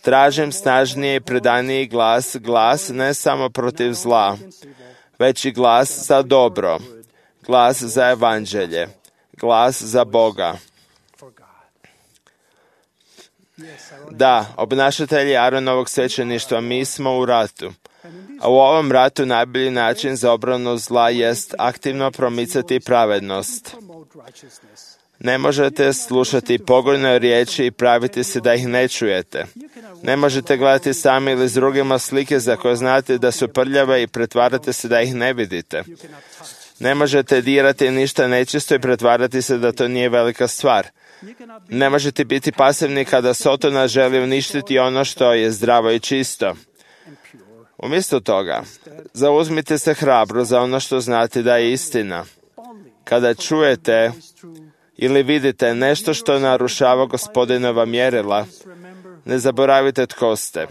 Tražim snažniji i predaniji glas, glas ne samo protiv zla, već i glas za dobro, glas za evanđelje, glas za Boga. Da, obnašatelji Aronovog svećeništva, mi smo u ratu. A u ovom ratu najbolji način za obranu zla jest aktivno promicati pravednost. Ne možete slušati pogojne riječi i praviti se da ih ne čujete. Ne možete gledati sami ili s drugima slike za koje znate da su prljave i pretvarate se da ih ne vidite. Ne možete dirati ništa nečisto i pretvarati se da to nije velika stvar. Ne možete biti pasivni kada Sotona želi uništiti ono što je zdravo i čisto. Umjesto toga, zauzmite se hrabro za ono što znate da je istina. Kada čujete ili vidite nešto što narušava Gospodinova mjerila, ne zaboravite tko ste.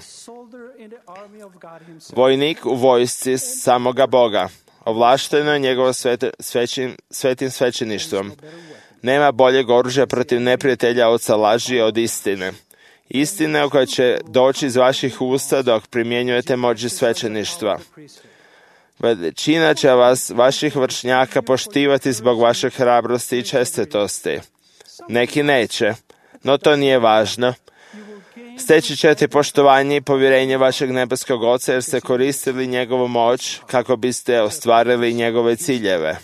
Vojnik u vojsci samoga Boga, ovlašteno je njegovo sveti, svećim, svetim svećeništvom. Nema boljeg oružja protiv neprijatelja od laži od istine. Istine koja će doći iz vaših usta dok primjenjujete moći svećeništva. Većina će vas, vaših vršnjaka, poštivati zbog vaše hrabrosti i čestitosti. Neki neće, no to nije važno. Steći ćete poštovanje i povjerenje vašeg nebeskog Oca jer ste koristili njegovu moć kako biste ostvarili njegove ciljeve.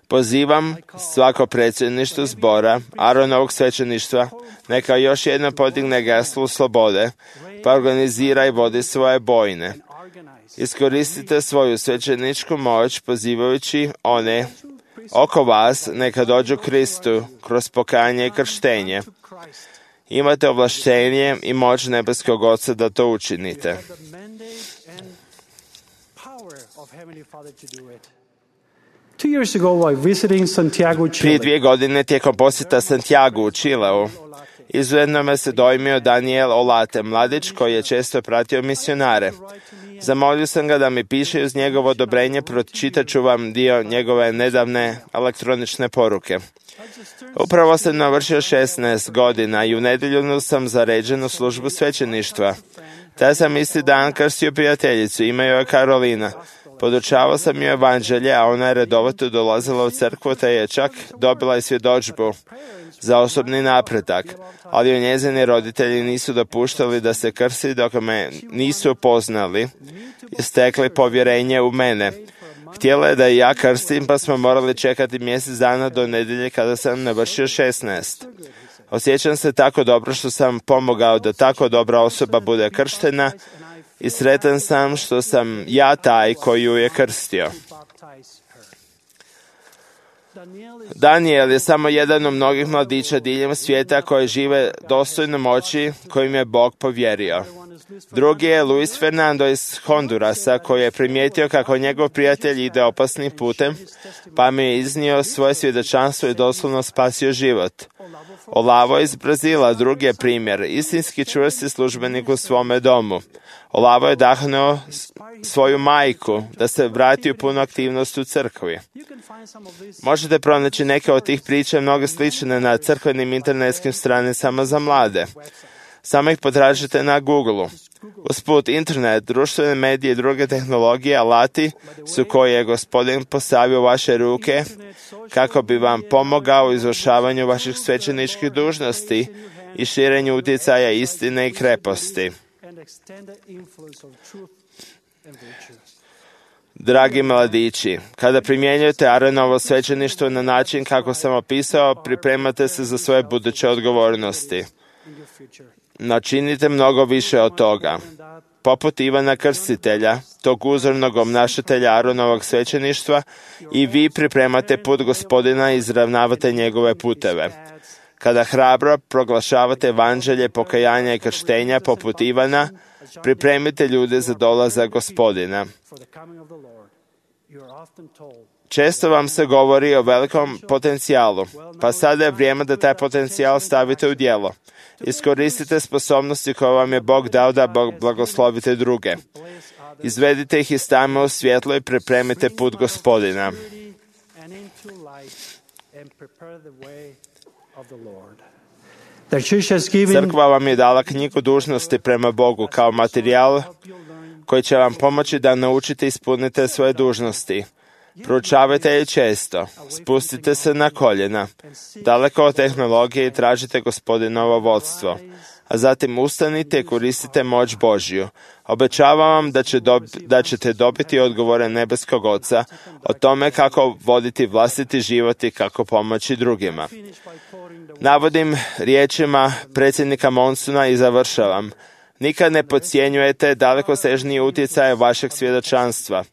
Pozivam svako predsjedništvo zbora, Aronovog svećeništva, neka još jedno podigne geslo slobode, pa organizira i vodi svoje bojne. Iskoristite svoju svećeničku moć pozivajući one oko vas neka dođu Kristu kroz pokajanje i krštenje. Imate ovlaštenje i moć nebeskog Oca da to učinite. Prije dvije godine tijekom posjeta Santiago u Čileu, izuzetno me se dojmio Daniel Olate, mladić koji je često pratio misionare. Zamolio sam ga da mi piše uz njegovo odobrenje, pročitat ću vam dio njegove nedavne elektronične poruke. Upravo sam navršio šesnaest godina i u nedjelju sam zaređen u službu svećeništva. Taj sam isti dan krstio prijateljicu, ime joj je Karolina. Podučavao sam joj evanđelje, a ona je redovito dolazila u crkvu, te je čak dobila i svjedodžbu za osobni napredak, ali joj njezini roditelji nisu dopuštali da se krsti dok me nisu poznali i stekli povjerenje u mene. Htjela je da i ja krstim, pa smo morali čekati mjesec dana do nedjelje kada sam navršio šesnaest. Osjećam se tako dobro što sam pomogao da tako dobra osoba bude krštena i sretan sam što sam ja taj koji ju je krstio. Daniel je samo jedan od mnogih mladića diljem svijeta koji žive dostojno moći kojim je Bog povjerio. Drugi je Luis Fernando iz Hondurasa koji je primijetio kako njegov prijatelj ide opasnim putem, pa mi je iznio svoje svjedočanstvo i doslovno spasio život. Olavo iz Brazila, drugi je primjer, istinski čvrsti službenik u svome domu. Olavo je dahnuo svoju majku da se vrati u punu aktivnost u crkvi. Možete pronaći neke od tih priča, mnogo slične na crkvenim internetskim stranicama za mlade. Samo ih potražite na Google-u. Usput, internet, društvene medije i druge tehnologije, alati su koje je Gospodin postavio u vaše ruke kako bi vam pomogao u izvršavanju vaših svećeničkih dužnosti i širenju utjecaja istine i kreposti. Dragi mladići, kada primjenjujete Aronovo svećeništvo na način kako sam opisao, pripremate se za svoje buduće odgovornosti. Načinite mnogo više od toga. Poput Ivana Krstitelja, tog uzornog obnašatelja Aronovog svećeništva, i vi pripremate put Gospodina i izravnavate njegove puteve. Kada hrabro proglašavate evanđelje pokajanja i krštenja poput Ivana, pripremite ljude za dolazak Gospodina. Često vam se govori o velikom potencijalu, pa sada je vrijeme da taj potencijal stavite u djelo. Iskoristite sposobnosti koje vam je Bog dao da blagoslovite druge. Izvedite ih iz tame u svjetlo i pripremite put Gospodina. Crkva vam je dala knjigu dužnosti prema Bogu kao materijal koji će vam pomoći da naučite i ispunite svoje dužnosti. Proučavajte je često, spustite se na koljena, daleko od tehnologije i tražite Gospodinovo vodstvo, a zatim ustanite i koristite moć Božju. Obećavam vam da, će dob, da ćete dobiti odgovore nebeskog Oca o tome kako voditi vlastiti život i kako pomoći drugima. Navodim riječima predsjednika Monsuna i završavam. Nikad ne podcjenjujete dalekosežniji utjecaj vašeg svjedočanstva.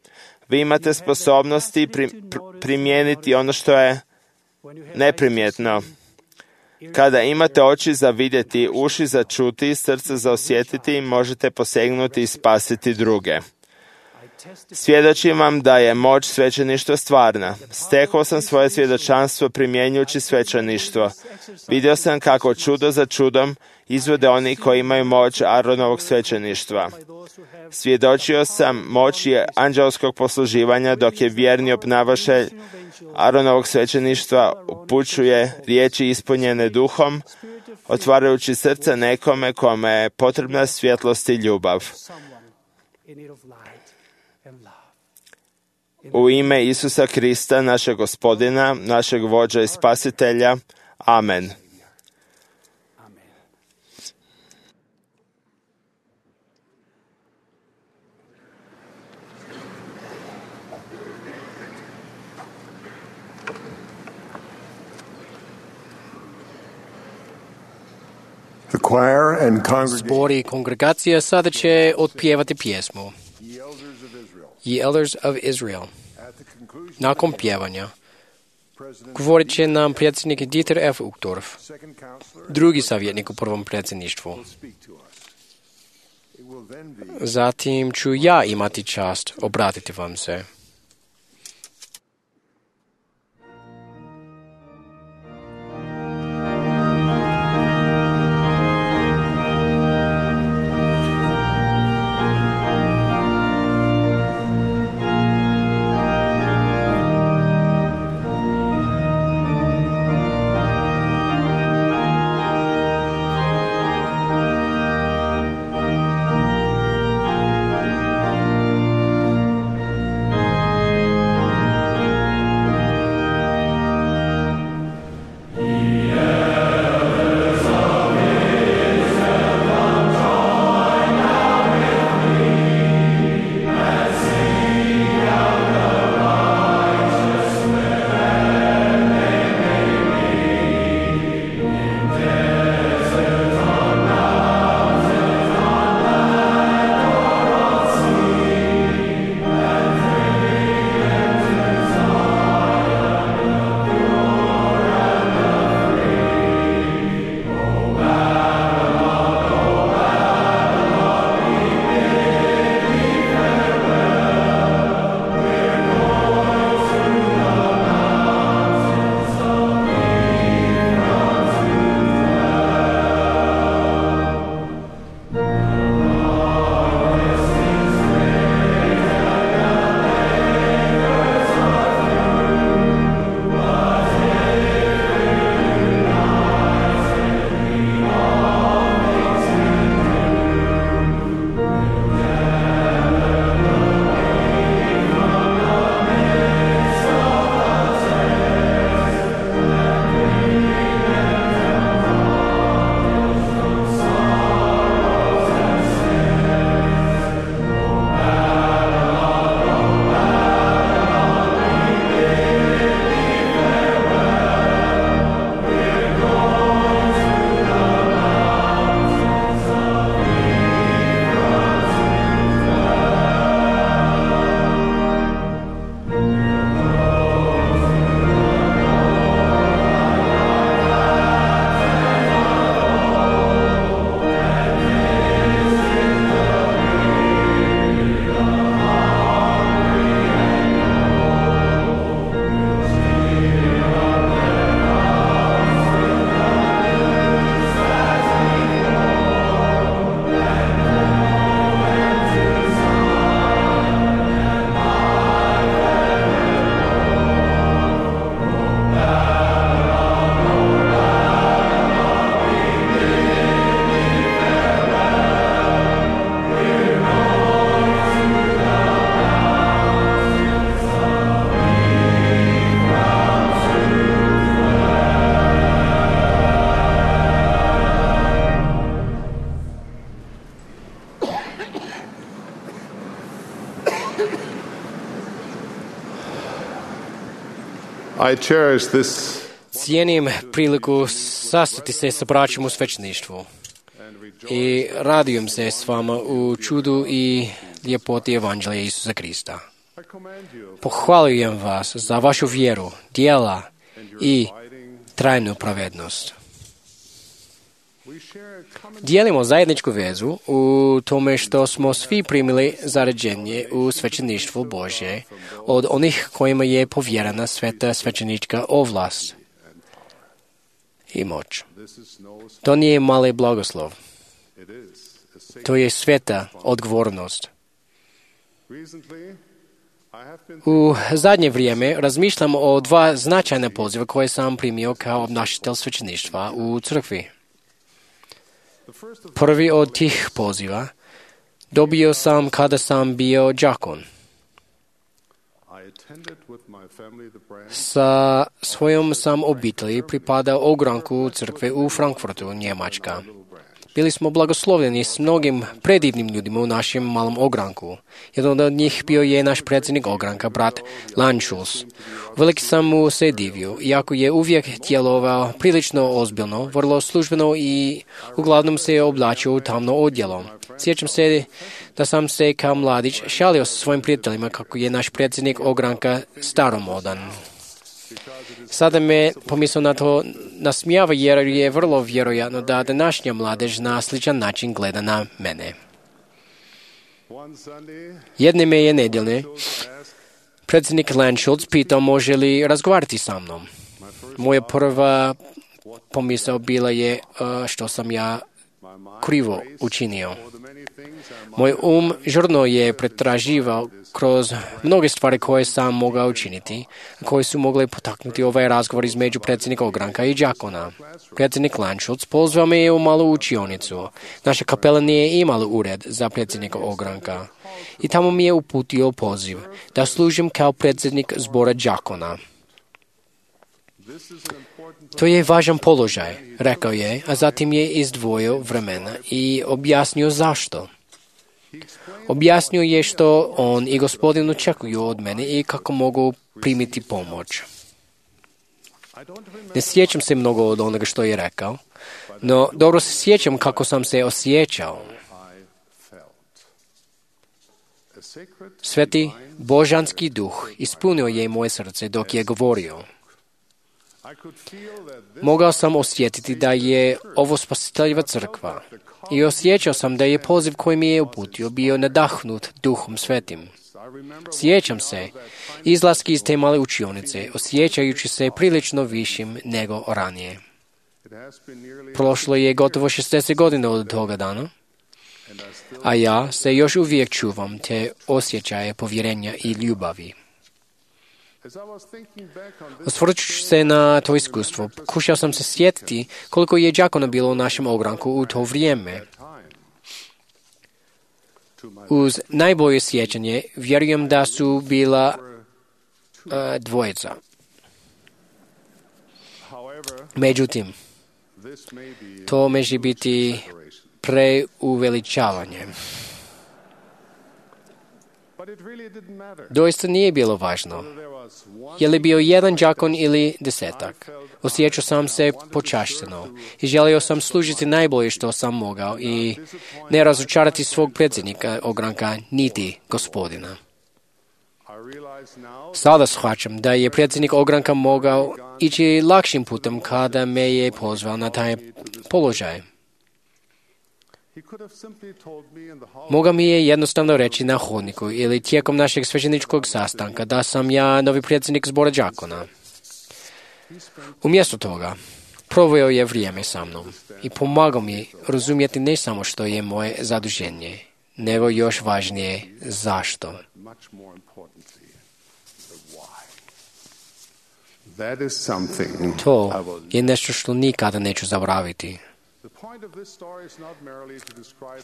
Vi imate sposobnosti pri, pr, primijeniti ono što je neprimjetno. Kada imate oči za vidjeti, uši za čuti, srce za osjetiti, možete posegnuti i spasiti druge. Svjedočim vam da je moć svećeništva stvarna. Stekao sam svoje svjedočanstvo primjenjujući svećeništvo. Vidio sam kako čudo za čudom izvode oni koji imaju moć Aronovog svećeništva. Svjedočio sam moći anđelskog posluživanja dok je vjerni obnašatelj Aronovog svećeništva upućuje riječi ispunjene duhom, otvarajući srce nekome kome je potrebna svjetlost i ljubav. U ime Isusa Krista, našeg Gospodina, našeg vođa i spasitelja. Amen. Zbor i kongregacija sada će otpjevati pjesmu Ye Elders of Israel. Nakon pjevanja govorit će nam predsjednik Dieter F. Uchtdorf, drugi savjetnik u prvom predsjedništvu. Zatim ću ja imati čast obratiti vam se. I cherish this Cijenim priliku sastati se sa braćom u svećeništvu i radujem se s vama u čudu i ljepoti Evanđelja Isusa Krista. Pohvaljujem vas za vašu vjeru, djela i trajnu pravednost. Dijelimo zajedničku vezu u tome što smo svi primili zaređenje u svećeništvu Božje od onih kojima je povjerena sveta svećenička ovlast i moć. To nije mali blagoslov. To je sveta odgovornost. U zadnje vrijeme razmišljam o dva značajna poziva koje sam primio kao obnašatelj svećeništva u crkvi. Prvi od tih poziva dobio sam kada sam bio đakon. Sa svojom sam obitelji pripadao ogranku crkve u Frankfurtu, Njemačka. Bili smo blagoslovljeni s mnogim predivnim ljudima u našem malom ogranku. Jedan od njih bio je naš predsjednik ogranka, brat Lančus. Veliki sam mu se divio, iako je uvijek djelovao prilično ozbiljno, vrlo službeno i uglavnom se je oblačio u tamno odjelo. Sjećam se da sam se kao mladić šalio sa svojim prijateljima kako je naš predsjednik ogranka staromodan. Sada me pomisao na to nasmijava jer je vrlo vjerojatno da današnja mladež na sličan način gleda na mene. Jedne me je nedjelje predsjednik Lanschulz pitao može li razgovarati sa mnom. Moja prva pomisao bila je uh, što sam ja krivo učinio. Moj um žurno je pretraživao kroz mnoge stvari koje sam mogao učiniti, koje su mogle potaknuti ovaj razgovor između predsjednika ogranka i đakona. Predsjednik Lanschulz pozvao me je u malu učionicu. Naša kapela nije imala ured za predsjednika ogranka i tamo mi je uputio poziv da služim kao predsjednik zbora đakona. To je važan položaj, rekao je, a zatim je izdvojio vremena i objasnio zašto. Objasnio je što on i gospodin očekuju od mene i kako mogu primiti pomoć. Ne sjećam se mnogo od onoga što je rekao, no dobro se sjećam kako sam se osjećao. Sveti božanski duh ispunio je moje srce dok je govorio. Mogao sam osjetiti da je ovo spasiteljeva crkva i osjećao sam da je poziv koji mi je uputio bio nadahnut Duhom Svetim. Sjećam se izlaski iz te male učionice, osjećajući se prilično višim nego ranije. Prošlo je gotovo šezdeset godina od toga dana, a ja se još uvijek čuvam te osjećaje povjerenja i ljubavi. Osvrćući se na to iskustvo, pokušao sam se sjetiti koliko je đakona bilo u našem ogranku u to vrijeme. Uz najbolje sjećanje vjerujem da su bila uh, dvojica. Međutim, to može biti preuveličavanje. Doista nije bilo važno. Je li bio jedan đakon ili desetak? Osjećao sam se počašteno i želio sam služiti najbolje što sam mogao i ne razočarati svog predsjednika ogranka niti gospodina. Sada shvaćam da je predsjednik ogranka mogao ići lakšim putem kada me je pozvao na taj položaj. Mogao mi je jednostavno reći na hodniku ili tijekom našeg svećeničkog sastanka da sam ja novi predsjednik zbora đakona. Umjesto toga, proveo je vrijeme sa mnom i pomagao mi razumjeti ne samo što je moje zaduženje, nego još važnije zašto. To je nešto što nikada neću zaboraviti.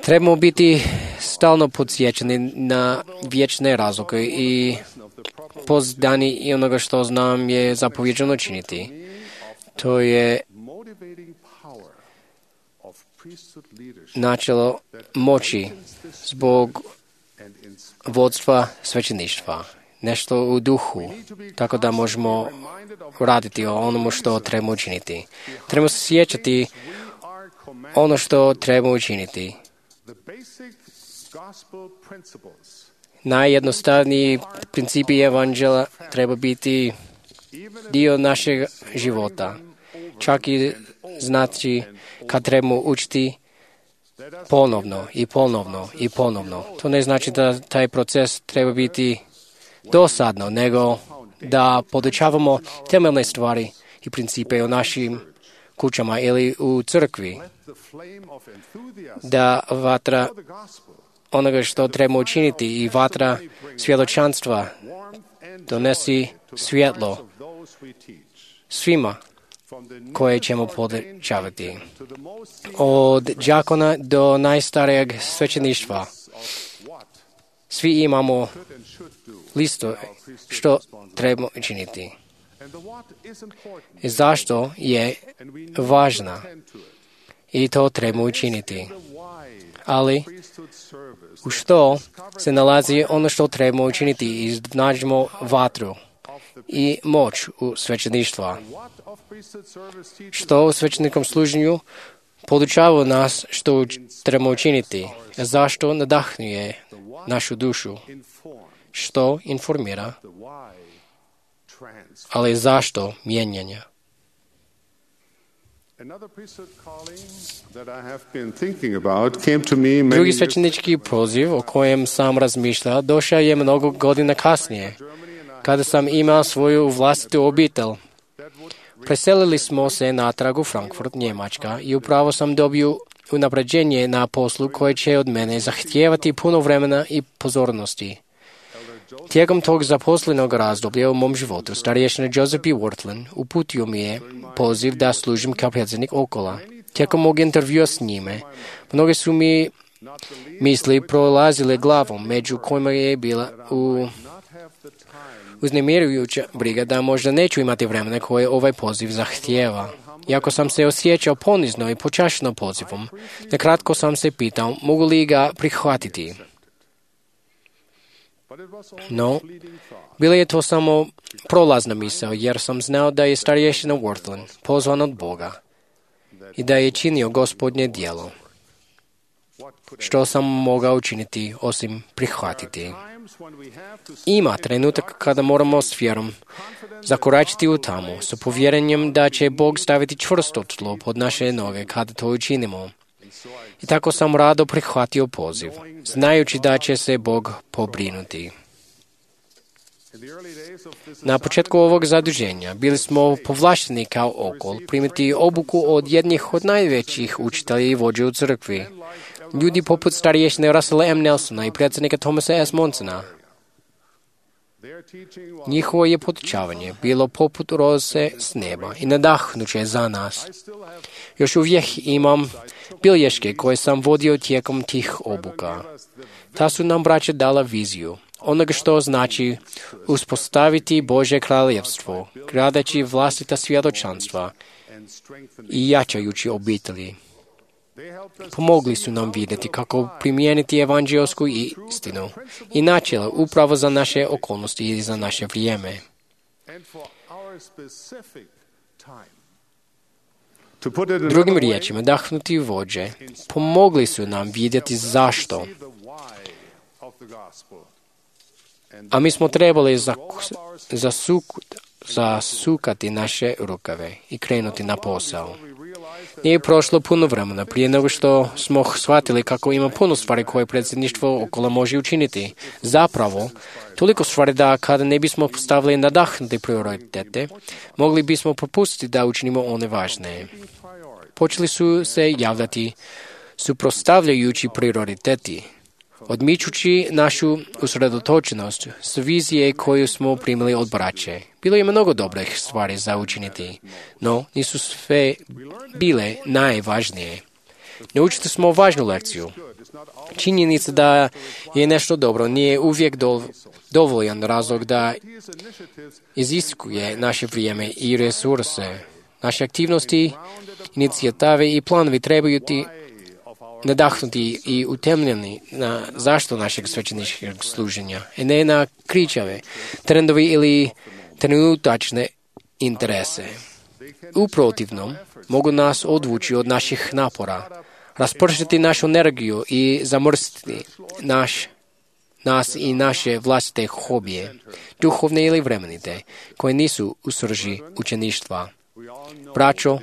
Trebamo biti stalno podsjećani na vječne razloge i pozdani i onoga što znam je zapovjeđeno činiti. To je načelo moći zbog vodstva svećeništva. Nešto u duhu, tako da možemo raditi o onomu što trebamo učiniti. Trebamo se sjećati ono što trebamo učiniti. Najjednostavniji principi evanđela treba biti dio našeg života. Čak i znači kad trebamo učiti ponovno i ponovno i ponovno. To ne znači da taj proces treba biti dosadno, nego da podučavamo temeljne stvari i principe u našim kućama ili u crkvi. Da vatra onoga što trebamo učiniti i vatra svjedočanstva donesi svjetlo svima koje ćemo podučavati. Od đakona do najstarijeg svećeništva svi imamo listu što trebamo učiniti. I zašto je važna? I to treba učiniti. Ali u što se nalazi ono što treba učiniti i iznađemo vatru i moć u svećeništva. Što u svećenikom služenju podučava nas što treba učiniti, zašto nadahnuje našu dušu, što informira, ali zašto mijenjanja. Drugi svećenički poziv o kojem sam razmišljao došao je mnogo godina kasnije, kada sam imao svoju vlastitu obitelj. Preselili smo se natrag u Frankfurt, Njemačka, i upravo sam dobio unapređenje na poslu koje će od mene zahtijevati puno vremena i pozornosti. Tijekom tog zaposlenog razdoblja u mom životu, starješina Joseph B. Worthlin uputio mi je poziv da služim kao predsjednik Okola. Tijekom mog intervjua s njime, mnoge su mi misli prolazile glavom, među kojima je bila u uznemirujuća briga da možda neću imati vremena koje ovaj poziv zahtijeva. Iako sam se osjećao ponizno i počašeno pozivom, nakratko sam se pitao mogu li ga prihvatiti. No, bila je to samo prolazna misao, jer sam znao da je starješina Worthlin pozvan od Boga i da je činio Gospodnje djelo. Što sam mogao učiniti osim prihvatiti? Ima trenutak kada moramo s vjerom zakoračiti u tamu, sa povjerenjem da će Bog staviti čvrsto tlo pod naše noge kada to učinimo. I tako sam rado prihvatio poziv, znajući da će se Bog pobrinuti. Na početku ovog zaduženja bili smo povlašteni kao Okol primiti obuku od jednih od najvećih učitelja i vođa u crkvi, ljudi poput starješine Russella M. Nelsona i predsjednika Thomasa S. Monsona. Njihovo je podučavanje bilo poput roze s neba i nadahnuće za nas. Još uvijek imam bilješke koje sam vodio tijekom tih obuka. Ta su nam braća dala viziju onoga što znači uspostaviti Božje kraljevstvo, gradeći vlastita svjedočanstva i jačajući obitelji. Pomogli su nam vidjeti kako primijeniti evanđelsku istinu i načela upravo za naše okolnosti i za naše vrijeme. Drugim riječima, dahnuti vođe pomogli su nam vidjeti zašto. A mi smo trebali zasuk, zasukati naše rukave i krenuti na posao. Nije prošlo puno vremena prije nego što smo shvatili kako ima puno stvari koje predsjedništvo Okola može učiniti. Zapravo, toliko stvari da kada ne bismo postavili nadahnuti prioritete, mogli bismo propustiti da učinimo one važne. Počeli su se javljati suprotstavljajući prioriteti, odmičući našu usredotočenost s vizije koju smo primili od braće. Bilo je mnogo dobrih stvari za učiniti, no nisu sve bile najvažnije. Naučili smo važnu lekciju. Činjenica da je nešto dobro nije uvijek dovoljan razlog da iziskuje naše vrijeme i resurse. Naše aktivnosti, inicijative i planovi trebaju ti nadahnuti i utemljeni na zašto našeg svećeničkog služenja, a ne na kričave, trendovi ili trenutačne interese. U protivnom, mogu nas odvući od naših napora, raspršiti našu energiju i zamrstiti naš, nas i naše vlastite hobije, duhovne ili vremenite, koje nisu u srži učeništva. Braćo,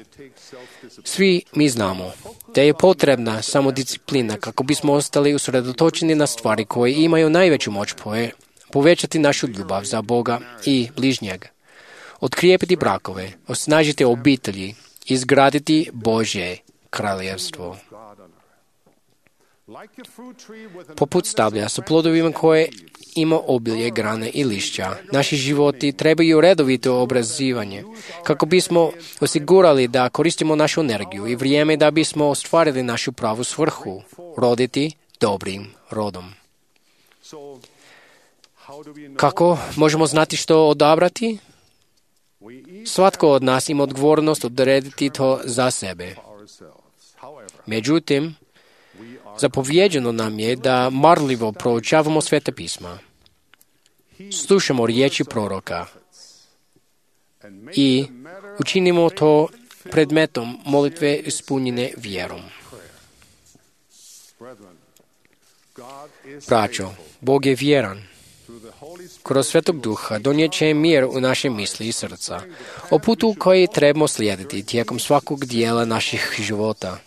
svi mi znamo da je potrebna samodisciplina kako bismo ostali usredotočeni na stvari koje imaju najveću moć povećati našu ljubav za Boga i bližnjeg, otkrijepiti brakove, osnažiti obitelji, izgraditi Božje kraljevstvo. Poput stablja sa plodovima koje ima obilje, grane i lišća, naši životi trebaju redovito obrazivanje kako bismo osigurali da koristimo našu energiju i vrijeme da bismo ostvarili našu pravu svrhu, roditi dobrim rodom. Kako možemo znati što odabrati? Svatko od nas ima odgovornost odrediti to za sebe. Međutim, zapovjeđeno nam je da marljivo proučavamo Sveta pisma, slušamo riječi proroka i učinimo to predmetom molitve ispunjene vjerom. Braćo, Bog je vjeran. Kroz Svetog Duha donijet će mir u naše misli i srca, o putu koji trebamo slijediti tijekom svakog dijela naših života.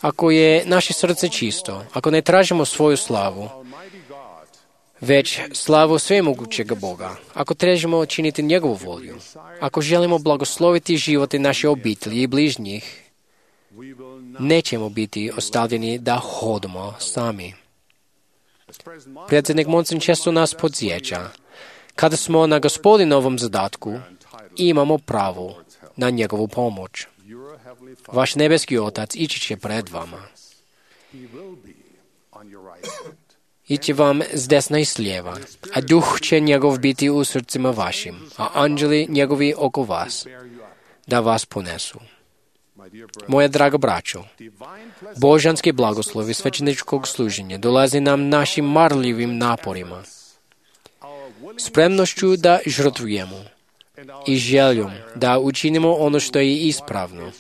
Ako je naše srce čisto, ako ne tražimo svoju slavu, već slavu svemogućeg Boga, ako tražimo činiti njegovu volju, ako želimo blagosloviti živote naše obitelji i bližnjih, nećemo biti ostavljeni da hodamo sami. Predsjednik Monson često nas podsjeća, kada smo na Gospodinovom zadatku, imamo pravo na njegovu pomoć. Vaš nebeski Otac ići će pred vama. Ići vam s desna i s lijeva, a duh će njegov biti u srcima vašim, a anđeli njegovi oko vas, da vas ponesu. Moja draga braćo, božanski blagoslovi svećeničkog služenja dolazi nam našim marljivim naporima, spremnošću da žrtvujemo i željom da učinimo ono što je ispravno.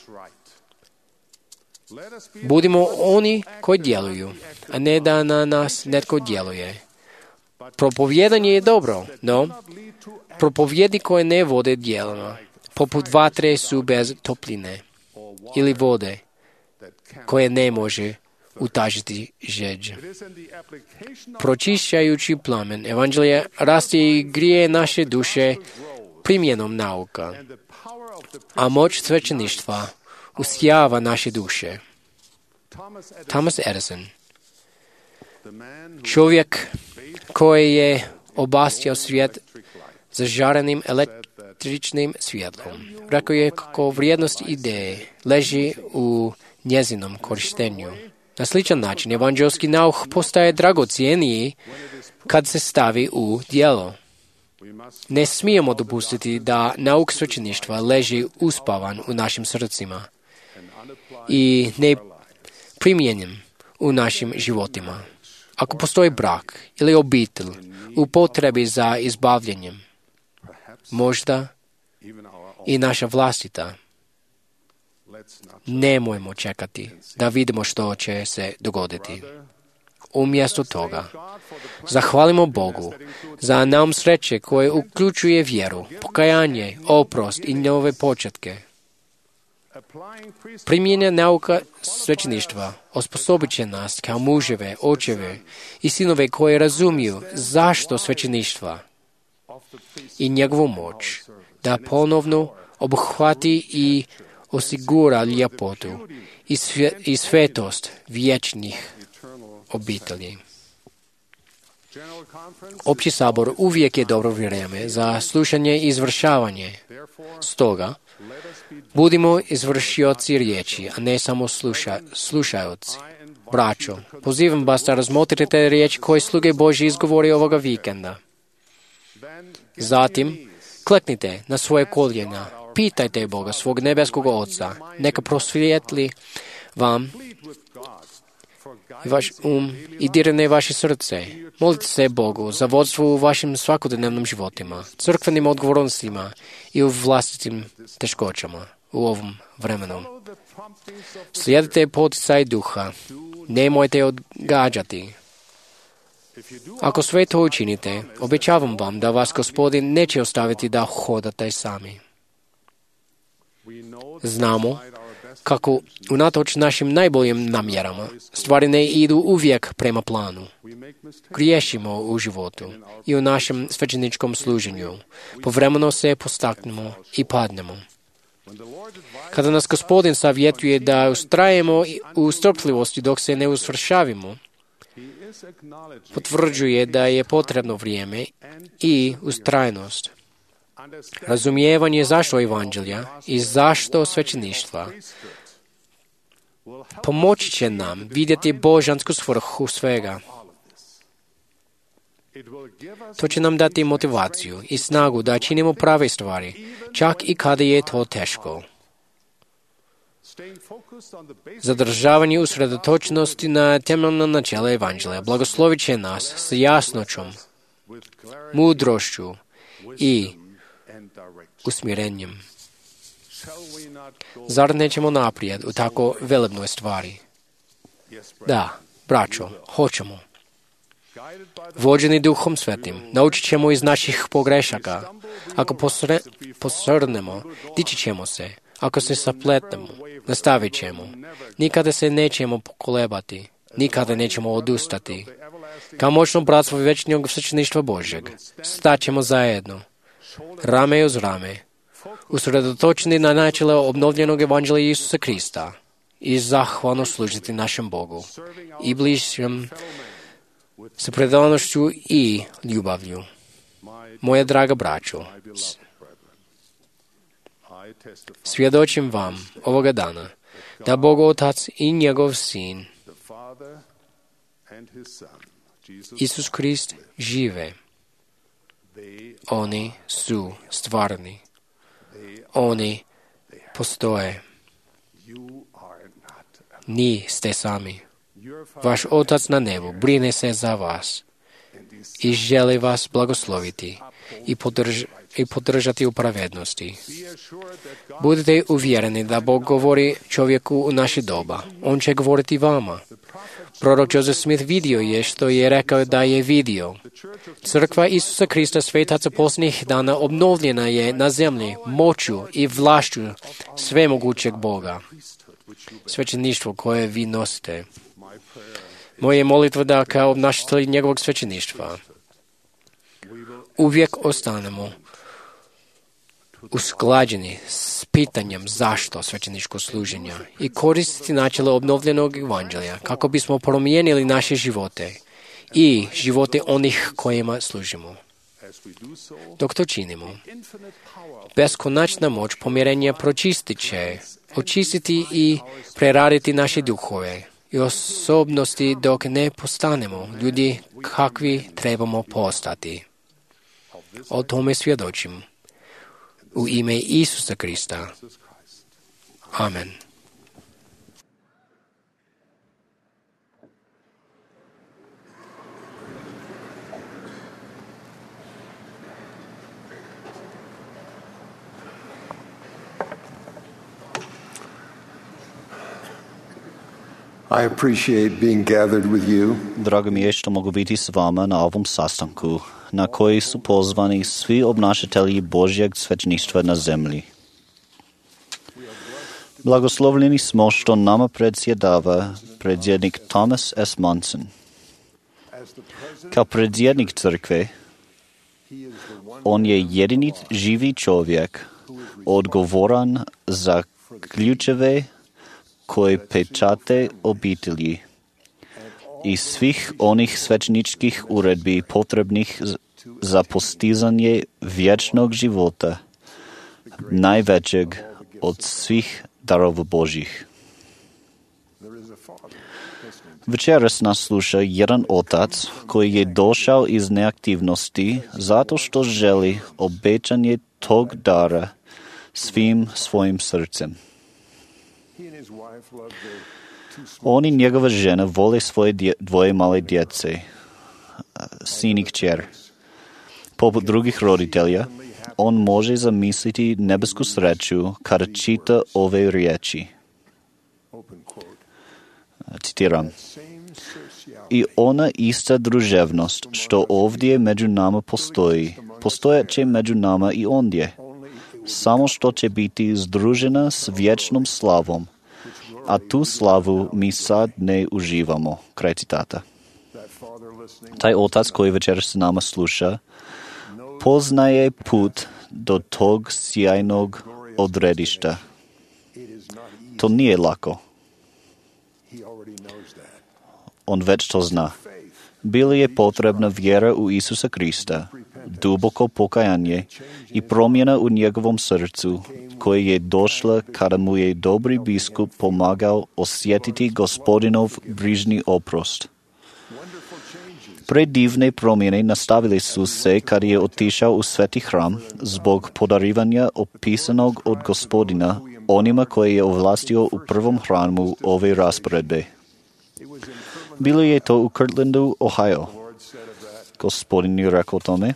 Budimo oni koji djeluju, a ne da na nas netko djeluje. Propovjedanje je dobro, no propovjedi koje ne vode djelama, poput vatre su bez topline ili vode koje ne može utažiti žeđ. Pročišćajući plamen evanđelja raste i grije naše duše primjenom nauka, a moć svećeništva usjava naše duše. Thomas Edison, čovjek koji je obasjao svijet zažarenim električnim svjetlom, rekao je kako vrijednost ideje leži u njezinom korištenju. Na sličan način evanđelski nauk postaje dragocjeniji kad se stavi u djelo. Ne smijemo dopustiti da nauk svećeništva leži uspavan u našim srcima i ne primjenjen u našim životima. Ako postoji brak ili obitelj u potrebi za izbavljanjem, možda i naša vlastita, nemojmo čekati da vidimo što će se dogoditi. Umjesto toga, zahvalimo Bogu za nam sreće koje uključuje vjeru, pokajanje, oprost i nove početke. Primjenja nauka svećeništva osposobit će nas kao muževe, očeve i sinove koji razumiju zašto svećeništva i njegovu moć da ponovno obuhvati i osigura ljepotu i, svje, i svetost vječnih obitelji. Opći sabor uvijek je dobro vrijeme za slušanje i izvršavanje. Stoga, budimo izvršioci riječi, a ne samo sluša, slušaoci. Braćo, pozivam vas da razmotrite riječi koje sluge Božji izgovori ovoga vikenda. Zatim, kleknite na svoje koljena, pitajte Boga, svog nebeskog Oca, neka prosvijetli vam vaš um i dirne vaše srce. Molite se Bogu za vodstvo u vašim svakodnevnim životima, crkvenim odgovornostima i u vlastitim teškoćama u ovom vremenu. Slijedite poticaj duha, nemojte odgađati. Ako sve to učinite, obećavam vam da vas Gospodin neće ostaviti da hodate sami. Znamo kako unatoč našim najboljim namjerama stvari ne idu uvijek prema planu. Griješimo u životu i u našem svećeničkom služenju. Povremeno se postaknemo i padnemo. Kada nas Gospodin savjetuje da ustrajemo u strpljivosti dok se ne usvršavimo, potvrđuje da je potrebno vrijeme i ustrajnost. Razumijevanje zašto evanđelja i zašto svećeništva pomoći će nam vidjeti božansku svrhu svega. To će nam dati motivaciju i snagu da činimo prave stvari, čak i kada je to teško. Zadržavanje usredotočenosti na temeljno načelo Evanđelja blagoslovit će nas s jasnoćom, mudrošću i usmjerenjem. Zar nećemo naprijed u tako velebnoj stvari? Da, braćo, hoćemo. Vođeni Duhom Svetim, naučit ćemo iz naših pogrešaka. Ako posre, posrnemo, dići ćemo se. Ako se sapletnemo, nastavit ćemo. Nikada se nećemo pokolebati. Nikada nećemo odustati. Kao moćno bratstvo večnog svećeništva Božjeg, staćemo zajedno, rame uz rame, usredotočeni na načelo obnovljenog Evanđelja Isusa Krista i zahvalno služiti našem Bogu i bližnjem sa predanošću i ljubavlju. Moja draga braćo, svjedočim vam ovoga dana da Bog Otac i njegov Sin, Isus Krist, žive. Oni su stvarni. Oni postoje. Niste sami. Vaš Otac na nebu brine se za vas i želi vas blagosloviti i, podrž, i podržati u pravednosti. Budite uvjereni da Bog govori čovjeku u naše doba. On će govoriti vama. Prorok Joseph Smith vidio je što je rekao da je vidio. Crkva Isusa Krista svetaca posljednjih dana obnovljena je na zemlji moću i vlašću svemogućeg Boga. Svećeništvo koje vi nosite. Moja je molitva da kao obnašatelji njegovog svećeništva uvijek ostanemo usklađeni s pitanjem zašto svećeničko služenja i koristiti načelo obnovljenog Evanđelja kako bismo promijenili naše živote i živote onih kojima služimo. Dok to činimo, beskonačna moć pomirenja pročistit će, očistiti i preraditi naše duhove i osobnosti dok ne postanemo ljudi kakvi trebamo postati. O tome svjedočim. U ime Isusa Krista. Amen. I appreciate being gathered with you. Drago mi je što mogu biti s vama na ovom sastanku, na koji su pozvani svi obnašatelji Božjeg svećeništva na zemlji. Blagoslovljeni smo što nama predsjedava predsjednik Thomas S. Monson. Kao predsjednik crkve, on je jedini živi čovjek odgovoran za ključeve koji pečate obitelji i svih onih svećeničkih uredbi potrebnih za postizanje vječnog života, najvećeg od svih darova Božjih. Večeras nas sluša jedan otac koji je došao iz neaktivnosti zato što želi obećanje tog dara svim svojim srcem. On i njegova žena vole svoje dje, dvoje male djece, sin i kćer. Poput drugih roditelja, on može zamisliti nebesku sreću kada čita ove riječi. Citiram. I ona ista druževnost što ovdje među nama postoji, postojat će među nama i ondje, samo što će biti združena s vječnom slavom, a tu slavu mi sad ne uživamo. Kraj citata. Taj otac koji večer s nama sluša, poznaje put do tog sjajnog odredišta. To nije lako. On već to zna. Bila je potrebna vjera u Isusa Krista, duboko pokajanje i promjena u njegovom srcu, koje je došla kada mu je dobri biskup pomagao osjetiti Gospodinov brižni oprost. Предивne промjene nastavili su se kad je otišao u sveti hram zbog podarivanja opisanog od Gospodina onima koje je ovlastio u prvom hramu ove rasporedbe. Bilo je to u Kirtlandu, Ohio. Gospodin je rekao tome,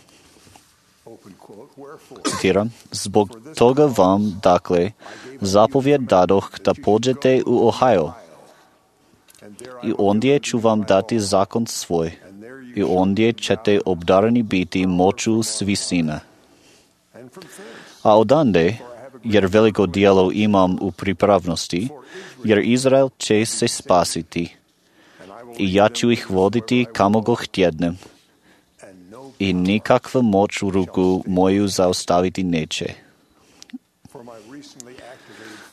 citiram, zbog toga vam, dakle, zapovjed dadoh da pođete u Ohio i ondje ću vam dati zakon svoj i ondje ćete obdarani biti moću s visine. A odande, jer veliko dijelo imam u pripravnosti, jer Izrael će se spasiti i ja ću ih voditi kamo go htjednem i nikakva moć u ruku moju zaustaviti neće.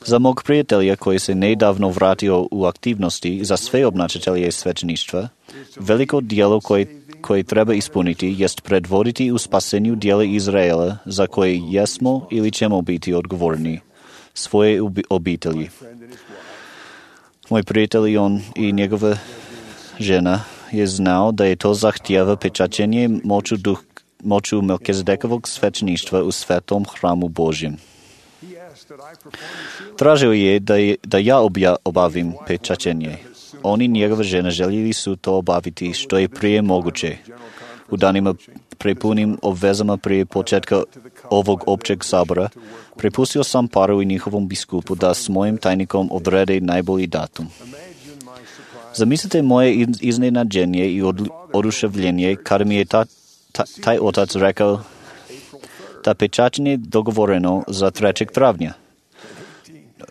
Za mog prijatelja koji se nedavno vratio u aktivnosti za sve obnašatelje svećeništva, veliko dijelo koje, koje treba ispuniti jest predvoditi u spasenju dijela Izraela za koje jesmo ili ćemo biti odgovorni, svoje obitelji. Moj prijatelj i on i njegova žena je znao da je to zahtjeva pečaćenje moću, duh, moću Melkizedekovog svećeništva u svetom hramu Božjem. Tražio je da, je, da ja obja, obavim pečaćenje. On i njegova žena željeli su to obaviti što je prije moguće. U danima prepunim obvezama prije početka ovog općeg sabora, prepustio sam paru i njihovom biskupu da s mojim tajnikom odrede najbolji datum. Zamislite moje iznenađenje i od, oduševljenje kada mi je ta, ta, taj otac rekao da pečaćenje dogovoreno za trećeg travnja.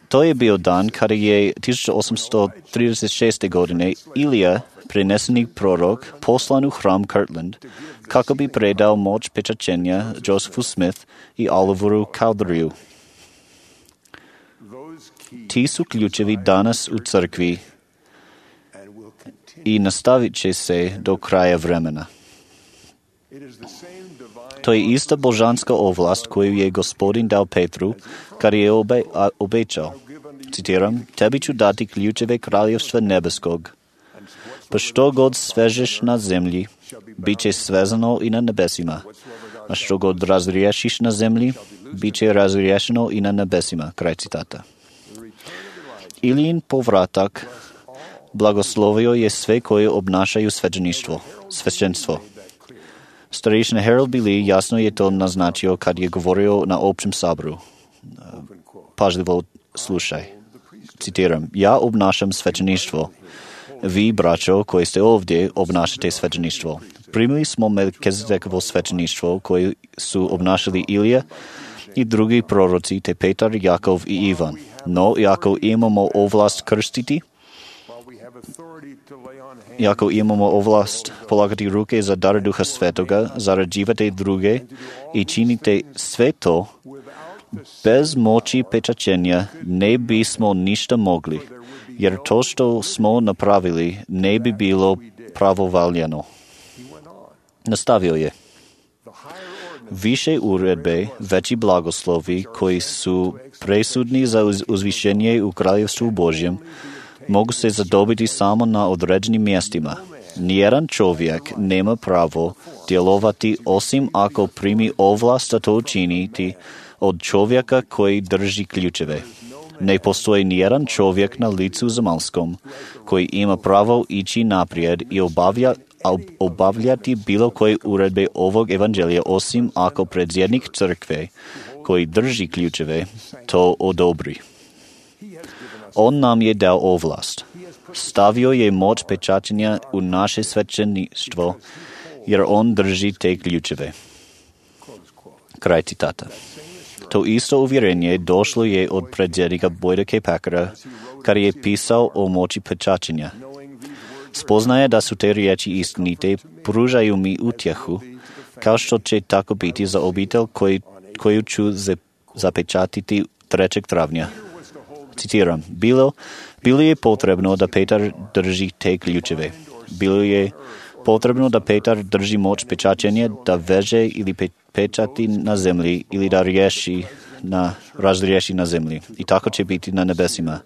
To je bio dan kada je tisuća osamsto trideset šeste. godine Ilija, preneseni prorok, poslan u hram Kirtland kako bi predao moć pečaćenja Josephu Smith i Oliveru Cowderyu. Ti su ključevi danas u crkvi i nastavit će se do kraja vremena. To je ista božanska ovlast koju je Gospodin dao Petru kad je obe, a, obećao. Citiram, tebi ću dati ključeve kraljevstva nebeskog. Pa što god svežeš na zemlji, bit će svezano i na nebesima. A što god razriješiš na zemlji, bit će razriješeno i na nebesima. Kraj citata. Ilijin povratak blagoslovio je sve koje obnašaju svećeništvo, svećenstvo. Starešina Harold Billy jasno je to naznačio kad je govorio na općem saboru. Pažljivo slušaj. Citiram, ja obnašam svećeništvo. Vi, braćo, koji ste ovdje, obnašate svećeništvo. Primili smo Melkizedekovo svećeništvo koje su obnašali Ilija i drugi proroci, te Petar, Jakov i Ivan. No, ako imamo ovlast krstiti, Iako imamo ovlast polagati ruke za dar Duha Svetoga, zarađivate druge i činite sve to, bez moći pečaćenja ne bismo ništa mogli, jer to što smo napravili ne bi bilo pravovaljano. Nastavio je. Više uredbe, veći blagoslovi koji su presudni za uz- uzvišenje u kraljevstvu Božjem, mogu se zadobiti samo na određenim mjestima. Nijedan čovjek nema pravo djelovati osim ako primi ovlast da to učiniti od čovjeka koji drži ključeve. Ne postoji nijedan čovjek na licu zemaljskom koji ima pravo ići naprijed i obavlja, obavljati bilo koje uredbe ovog evanđelja osim ako predsjednik crkve koji drži ključeve to odobri. On nam je dao ovlast. Stavio je moć pečaćenja u naše svećeništvo, jer on drži te ključeve. Kraj citata. To isto uvjerenje došlo je od predsjednika Boyda K. Packera, kad je pisao o moći pečaćenja. Spoznaje da su te riječi istinite, pružaju mi utjehu, kao što će tako biti za obitelj koju, koju ću zapečatiti trećeg travnja. Citiram, bilo, bilo je potrebno da Petar drži te ključeve. Bilo je potrebno da Petar drži moć pečaćenja, da veže ili pe, pečati na zemlji ili da riješi на разреши на землі, і tako će biti na nebesima.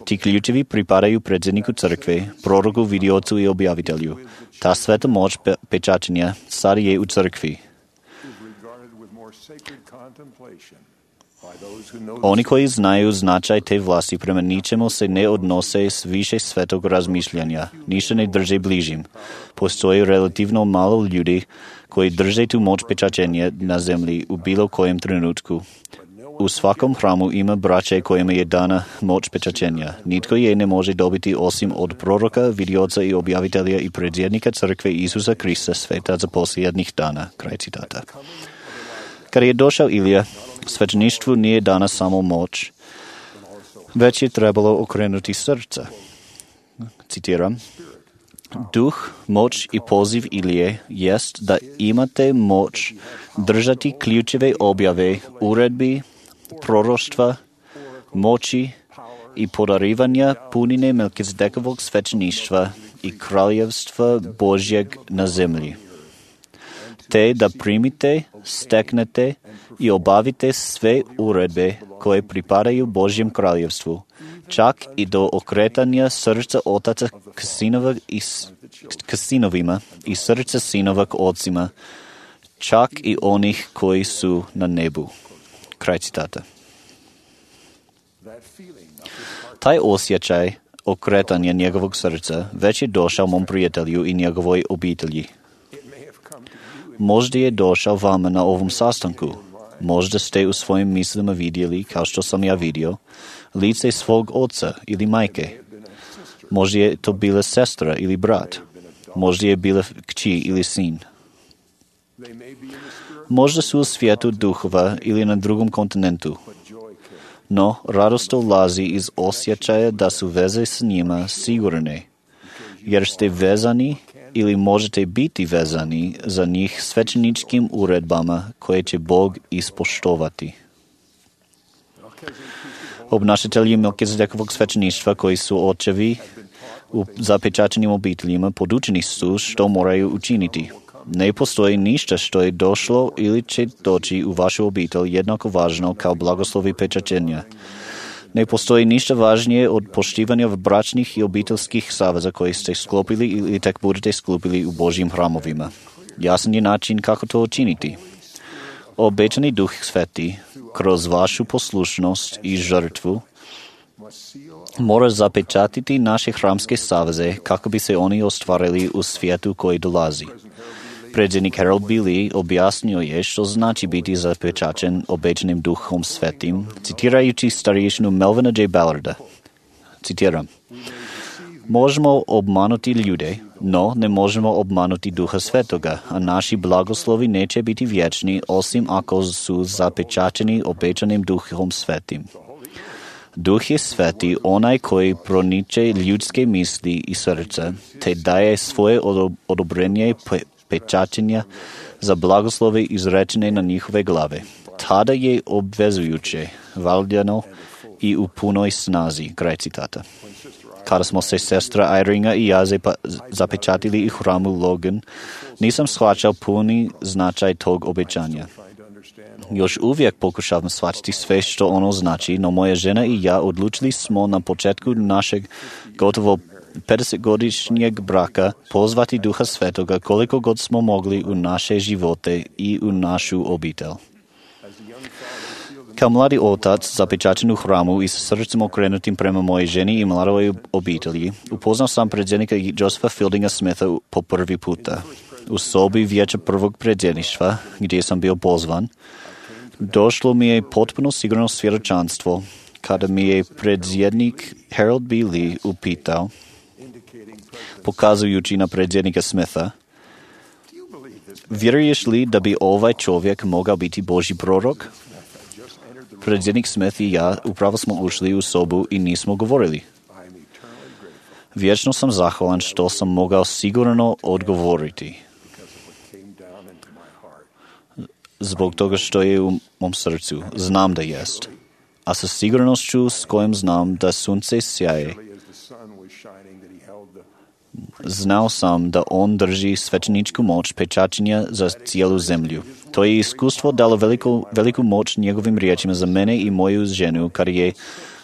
Ti ključevi pripadaju predsjedniku crkve, proroku, vidiocu i objavitelju. Ta sveta moć pe- pečačenja sad je u crkvi. Oni koji znaju značaj te vlasti prema ničemu se ne odnose s više svetog razmišljanja, ništa ne drže bližim. Postoji relativno malo ljudi koji drže tu moć pečačenja na zemlji u bilo kojem trenutku. U svakom hramu ima braće kojima je dana moć pečačenja. Nitko je ne može dobiti osim od proroka, vidioca i objavitelja i predsjednika crkve Isusa Krista, svetaca posljednjih dana. Kraj citata. Kada je došao Ilija, svećeništvu nije dana samo moć, već je trebalo okrenuti srca. Citiram. Duh, moć i poziv Ilije jest da imate moć držati ključeve objave, uredbi, proroštva, moći i podarivanja punine Melkizedekovog svećeništva i kraljevstva Božjeg na zemlji. Te da primite, steknete i obavite sve uredbe koje pripadaju Božjem kraljevstvu, čak i do okretanja srca otaca k, sinova i, k sinovima i srca sinova k ocima, čak i onih koji su na nebu. Kraj citata. Taj osjećaj okretanja njegovog srca već je došao mom prijatelju i njegovoj obitelji. Možda je došao vama na ovom sastanku. Možda ste u svojim mislima vidjeli, kao što sam ja vidio, lice svog oca ili majke. Možda je to bila sestra ili brat. Možda je bila kći ili sin. Možda su u svijetu duhova ili na drugom kontinentu. No, radost dolazi iz osjećaja da su veze s njima sigurne, jer ste vezani ili možete biti vezani za njih svećeničkim uredbama koje će Bog ispoštovati. Obnašatelji Melkizedekovog svećeništva koji su očevi u zapečačenim obiteljima podučeni su što moraju učiniti. Ne postoji ništa što je došlo ili će doći u vašu obitelj jednako važno kao blagoslovi pečačenja. Ne postoji ništa važnije od poštivanja bračnih i obiteljskih saveza koje ste sklopili ili tek budete sklopili u Božjim hramovima. Jasan je način kako to učiniti. Obećani Duh Sveti, kroz vašu poslušnost i žrtvu, mora zapečatiti naše hramske saveze kako bi se oni ostvarili u svijetu koji dolazi. Predsjednik Harold B. Lee objasnio je što znači biti zapečačen obećanim Duhom Svetim, citirajući starješinu Melvina J. Ballarda. Citiram. Možemo obmanuti ljude, no ne možemo obmanuti Duha Svetoga, a naši blagoslovi neće biti vječni osim ako su zapečačeni obećanim Duhom Svetim. Duh je sveti, onaj koji proniče ljudske misli i srca, te daje svoje odobrenje pečačenja za blagoslove izrečene na njihove glave. Tada je obvezujuće, valjano i u punoj snazi. Kraj citata. Kada smo se sestra Iringa i ja zapečatili u hramu Logan, nisam shvaćao puni značaj tog obećanja. Još uvijek pokušavam shvatiti sve što ono znači, no moja žena i ja odlučili smo na početku našeg gotovo pedesetgodišnjeg braka pozvati Duha Svetoga koliko god smo mogli u naše živote i u našu obitelj. Kao mladi otac zapečačen u hramu i sa srcem okrenutim prema moje ženi i mladoj obitelji, upoznao sam predsjednika Josepha Fieldinga Smitha po prvi puta. U sobi vijeća prvog predsjedništva, gdje sam bio pozvan, došlo mi je potpuno sigurno svjedočanstvo kada mi je predsjednik Harold B. Lee upitao, pokazujući na predsjednika Smitha, vjeruješ li da bi ovaj čovjek mogao biti Božji prorok? Predsjednik Smith i ja upravo smo ušli u sobu i nismo govorili. Vječno sam zahvalan što sam mogao sigurno odgovoriti. Zbog toga što je u mom srcu, znam da jest. A sa sigurnošću s kojom znam da sunce sjaje, Znao sam da on drži svećeničku moć pečaćenja za cijelu zemlju. To je iskustvo dalo veliku, veliku moć njegovim riječima za mene i moju ženu, kada je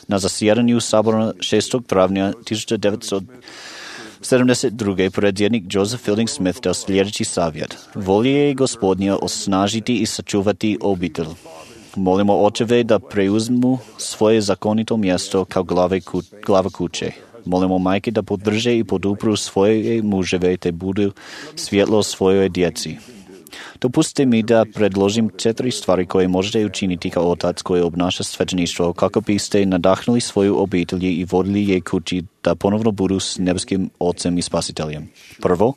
na zasjedanju sabora šestog travnja tisuća devetsto sedamdeset druge predsjednik Joseph Fielding Smith dao sljedeći savjet. Volje je Gospodnja osnažiti i sačuvati obitelj. Molimo očeve da preuzmu svoje zakonito mjesto kao glave ku, glava kuće. Molimo majke da podrže i podupru svoje muževe te budu svjetlo svojoj djeci. Dopustite mi da predložim četiri stvari koje možete učiniti kao otac koji obnaša svećeništvo kako biste nadahnuli svoju obitelj i vodili je kući da ponovno budu s nebeskim Ocem i Spasiteljem. Prvo,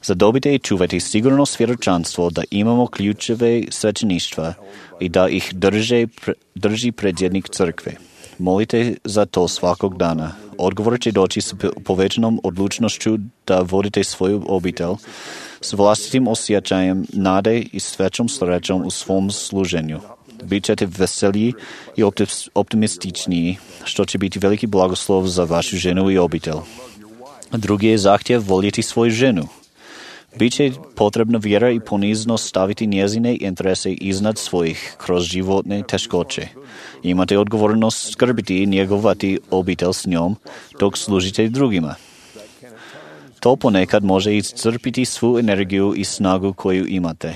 zadobite i čuvajte sigurno svjedočanstvo da imamo ključeve svećeništva i da ih drže, drži predsjednik crkve. Molite za to svakog dana. Odgovor će doći s povećanom odlučnošću da vodite svoju obitelj s vlastitim osjećajem nade i svećom srećom u svom služenju. Bićete veseliji i optimističniji, što će biti veliki blagoslov za vašu ženu i obitelj. Drugi je zahtjev voljeti svoju ženu. Biće potrebna vjera i poniznost staviti njezine interese iznad svojih kroz životne teškoće. Imate odgovornost skrbiti i njegovati obitelj s njom dok služite drugima. To ponekad može iscrpiti svu energiju i snagu koju imate.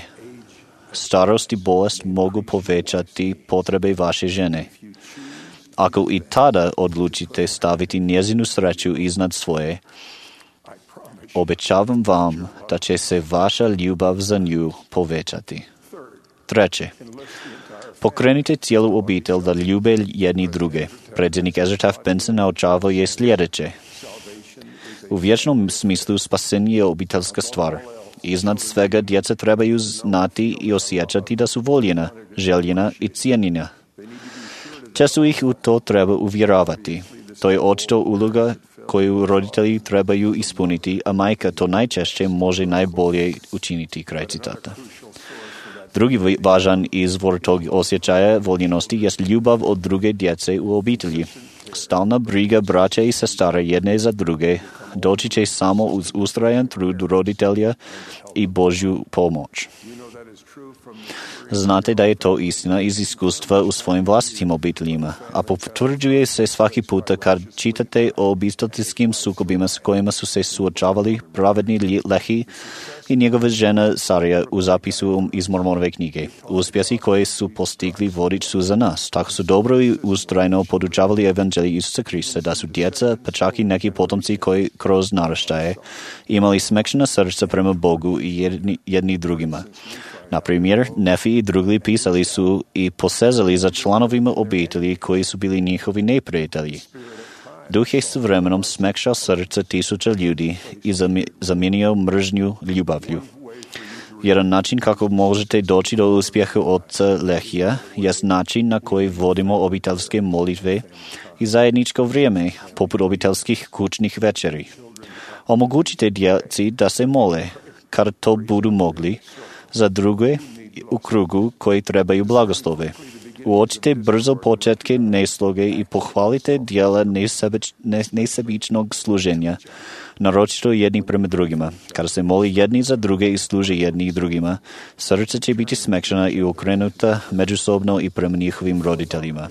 Starost i bolest mogu povećati potrebe vaše žene. Ako i tada odlučite staviti njezinu sreću iznad svoje, obećavam vam da će se vaša ljubav za nju povećati. Treće, pokrenite cijelu obitelj da ljube jedni druge. Predsjednik Ezra Taft Benson naučavao je sljedeće. U vječnom smislu spasenje je obiteljska stvar. Iznad svega djeca trebaju znati i osjećati da su voljena, željena i cijenjena. Često ih u to treba uvjeravati. To je očito uloga koju roditelji trebaju ispuniti, a majka to najčešće može najbolje učiniti, kraj citata. Drugi važan izvor tog osjećaja voljenosti jest ljubav od druge djece u obitelji. Stalna briga braća i sestara jedne za druge doći će samo uz ustrajan trud roditelja i Božju pomoć. Znate da je to istina iz iskustva u svojim vlastitim obiteljima, a potvrđuje se svaki puta kad čitate o obiteljskim sukobima s kojima su se suočavali pravedni Lehi i njegova žena Sarija u zapisu iz Mormonove knjige. Uspjesi koje su postigli vodič su za nas. Tako su dobro i ustrajno podučavali evanđelje Isusa Krista, da su djeca, pa čak i neki potomci koji kroz naraštaje imali smekšana srca prema Bogu i jedni, jedni drugima. Na primjer, Nefi i drugi pisali su i posezali za članovima obitelji koji su bili njihovi neprijatelji. Duh je s vremenom smekšao srca tisuća ljudi i zamijenio mržnju ljubavlju. Jedan način kako možete doći do uspjeha oca Lehija je način na koji vodimo obiteljske molitve i zajedničko vrijeme, poput obiteljskih kućnih večeri. Omogućite djeci da se mole, kad to budu mogli, za druge u krugu koji trebaju blagoslove. Uočite brzo početke nesloge i pohvalite dijela nesebič, nesebičnog služenja, naročito jedni prema drugima. Kada se moli jedni za druge i služe jedni drugima, srce će biti smekšana i okrenuta međusobno i prema njihovim roditeljima.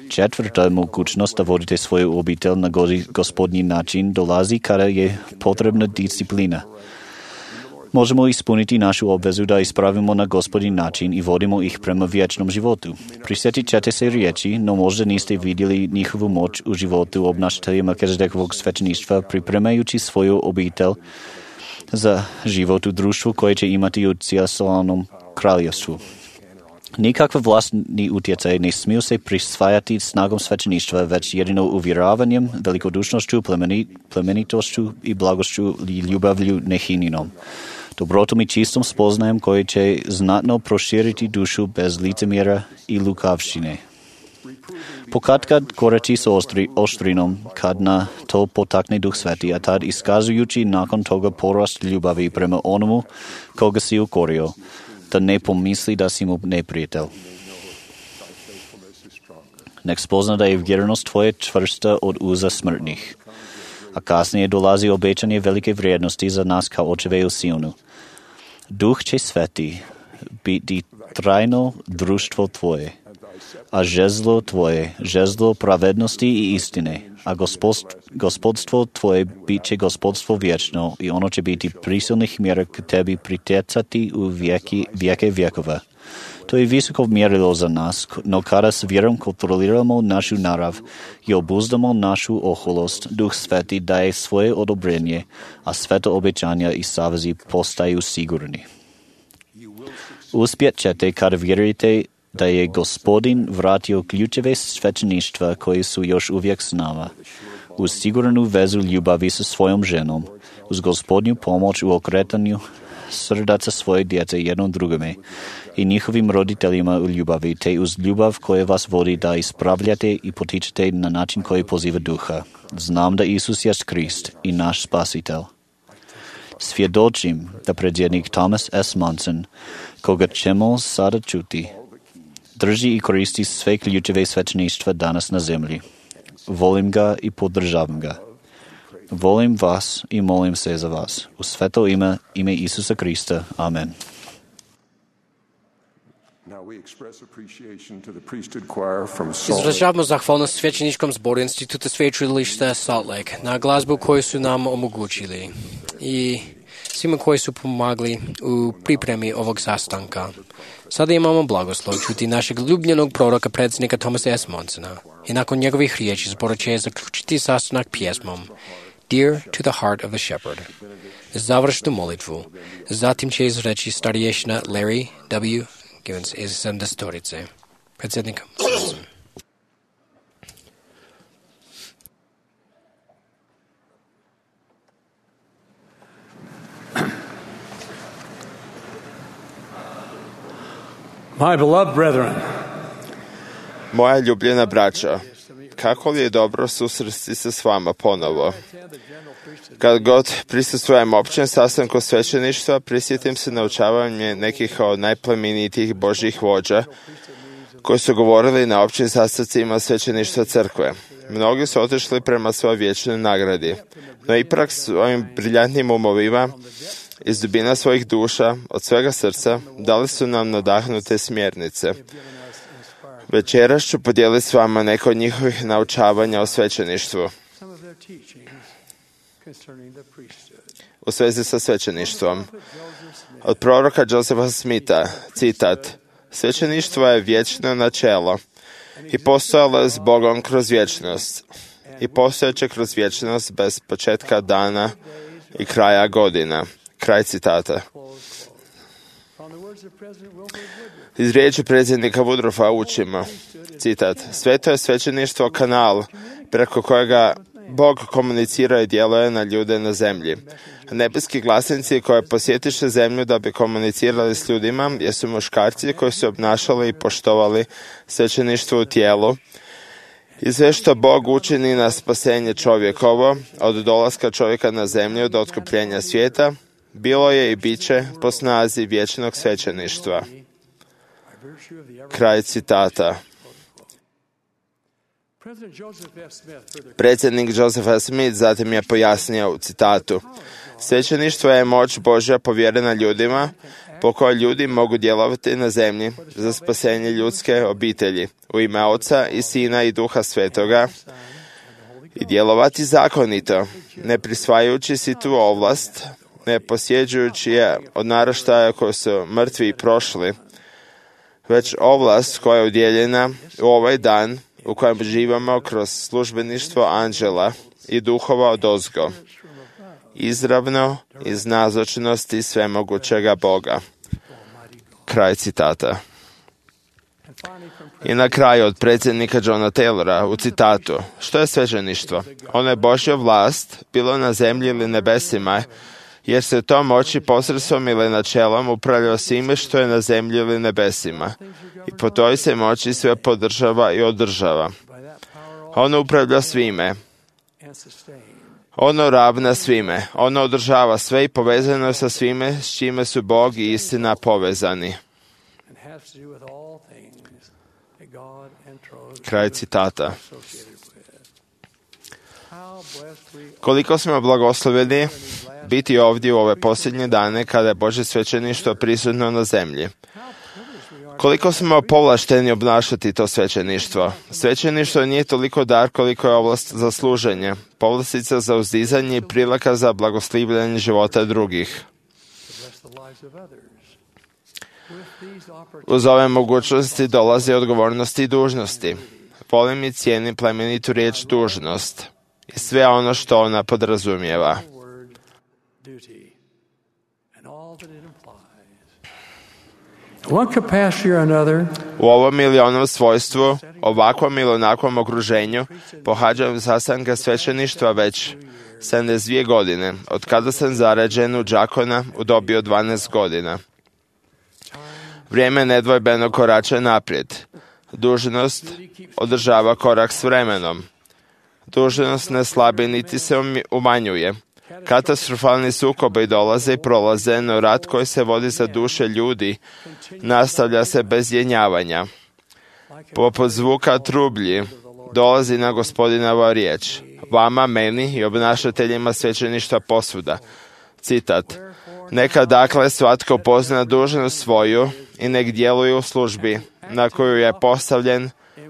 Četvrta mogućnost da vodite svoju obitelj na Gospodnji način dolazi kada je potrebna disciplina. Možemo ispuniti našu obvezu da ispravimo na Gospodin način i vodimo ih prema vječnom životu. Prisjetit ćete se riječi, no možda niste vidjeli njihovu moć u životu obnašatelja Melkizedekovog svećeništva pripremajući svoju obitelj za život u društvu koje će imati u cijelom kraljevstvu. Nikakva vlastni utjecaj ne smiju se prisvajati snagom svećeništva, već jedino uvjeravanjem, velikodušnošću, plemenitošću i blagošću i ljubavlju nehininom. Dobrotom i čistom spoznajem koji će znatno proširiti dušu bez licemjera i lukavštine. Pokatkad korači s ostri, oštrinom, kad na to potakne Duh Sveti, a tad iskazujući nakon toga porast ljubavi prema onomu koga si ukorio, da ne pomisli da si mu neprijatelj. Nek spozna da je vjernost tvoje čvrsta od uza smrtnih. a kasnije dolazi obećanje velike vrijednosti za nas kao očeve u Sionu. Duh će sveti biti trajno društvo tvoje, a žezlo tvoje, žezlo pravednosti i istine, a gospod, gospodstvo tvoje bit će gospodstvo vječno i ono će biti prisilnih mjera k tebi pritjecati u vijeki, vijeke vjekova. To je visoko mjerilo za nas, no kada s vjerom kontroliramo našu narav i obuzdamo našu oholost, Duh Sveti daje svoje odobrenje, a sveto obećanja i savezi postaju sigurni. Uspjet ćete kada vjerujete da je Gospodin vratio ključeve svećeništva koji su još uvijek s nama, uz sigurnu vezu ljubavi sa svojom ženom, uz Gospodnju pomoć u okretanju srdaca svoje djece jednom drugome i njihovim roditeljima u ljubavi, te uz ljubav koja vas vodi da ispravljate i potičete na način koji poziva duha. Znam da Isus jest Krist i naš spasitelj. Svjedočim da predsjednik Thomas S. Monson, koga ćemo sada čuti, drži i koristi sve ključeve svećeništva danas na zemlji. Volim ga i podržavam ga. Volim vas i molim se za vas. U sveto ime, ime Isusa Krista. Amen. Izražavamo zahvalnost svećeničkom zboru Instituta sveučilišta Salt Lake na glazbu koju su nam omogućili i svima koji su pomagali u pripremi ovog sastanka. Sada imamo blagoslov čuti našeg ljubljenog proroka predsjednika Thomasa S. Monsona i nakon njegovih riječi zbor će zaključiti sastanak pjesmom Dear to the Heart of the Shepherd. Završnu molitvu. Zatim će izreći starješina Larry W. Givens iz sedamdesetorice. Predsjednik Monson. My beloved brethren, Moja ljubljena braćo, kako li je dobro susresti se s vama ponovo. Kad god prisustvujem općem sastanku svećeništva, prisjetim se naučavanje nekih od najplemenitijih Božjih vođa koji su govorili na općim sastancima svećeništva crkve. Mnogi su otišli prema svojoj vječnoj nagradi, no ipak svojim briljantnim umovima iz dubina svojih duša, od svega srca, dali su nam nadahnute smjernice. Večeras ću podijeliti s vama neko od njihovih naučavanja o svećeništvu u svezi sa svećeništvom. Od proroka Josefa Smitha, citat: Svećeništvo je vječno načelo i postojalo je s Bogom kroz vječnost i postojeće kroz vječnost bez početka dana i kraja godina. Kraj citata. Iz riječi predsjednika Woodroffa učimo, citat: Sveto je svećeništvo kanal preko kojega Bog komunicira i djeluje na ljude na zemlji. Nebeski glasnici koji posjetiše zemlju da bi komunicirali s ljudima jesu muškarci koji su obnašali i poštovali svećeništvo u tijelu i sve što Bog učini na spasenje čovjekovo od dolaska čovjeka na zemlju do otkupljenja svijeta bilo je i bit će po snazi vječnog svećeništva. Kraj citata. Predsjednik Joseph F. Smith zatim je pojasnio u citatu: Svećeništvo je moć Božja povjerena ljudima po kojoj ljudi mogu djelovati na zemlji za spasenje ljudske obitelji u ime Oca i Sina i Duha Svetoga i djelovati zakonito, ne prisvajajući si tu ovlast, ne posjeđujući je od naraštaja koji su mrtvi i prošli, već ovlast koja je udjeljena u ovaj dan u kojem živamo kroz službeništvo anđela i duhova odozgo, izravno iz nazočnosti svemogućega Boga. Kraj citata. I na kraju od predsjednika Johna Taylora u citatu: Što je svećeništvo? Ono je Božja vlast, bilo na zemlji ili nebesima, jer se to moći posredstvom ili načelom upravlja svime što je na zemlji ili nebesima. I po toj se moći sve podržava i održava. Ono upravlja svime. Ono ravna svime. Ono održava sve i povezano je sa svime s čime su Bog i istina povezani. Koliko smo blagosloveni biti ovdje u ove posljednje dane kada je Božje svećeništvo prisutno na zemlji. Koliko smo povlašteni obnašati to svećeništvo. Svećeništvo nije toliko dar koliko je ovlast za služenje, povlastica za uzdizanje i prilika za blagoslivljanje života drugih. Uz ove mogućnosti dolaze odgovornosti i dužnosti. Volim i cijenim plemenitu riječ dužnost i sve ono što ona podrazumijeva. U ovom ili onom svojstvu, ovakvom ili onakvom okruženju, pohađam sastanke svećeništva već sedamdeset dvije godine, od kada sam zarađen u đakona u dobi od dvanaest godina. Vrijeme nedvojbeno korača naprijed. Dužnost održava korak s vremenom. Dužnost ne slabi niti se umanjuje. Katastrofalni sukobi dolaze i prolaze, no rat koji se vodi za duše ljudi nastavlja se bez jenjavanja. Poput zvuka trublji dolazi na Gospodinova riječ, vama, meni i obnašateljima svećeništva posvuda. Citat. Neka dakle svatko pozna dužnost svoju i nek djeluje u službi na koju je postavljen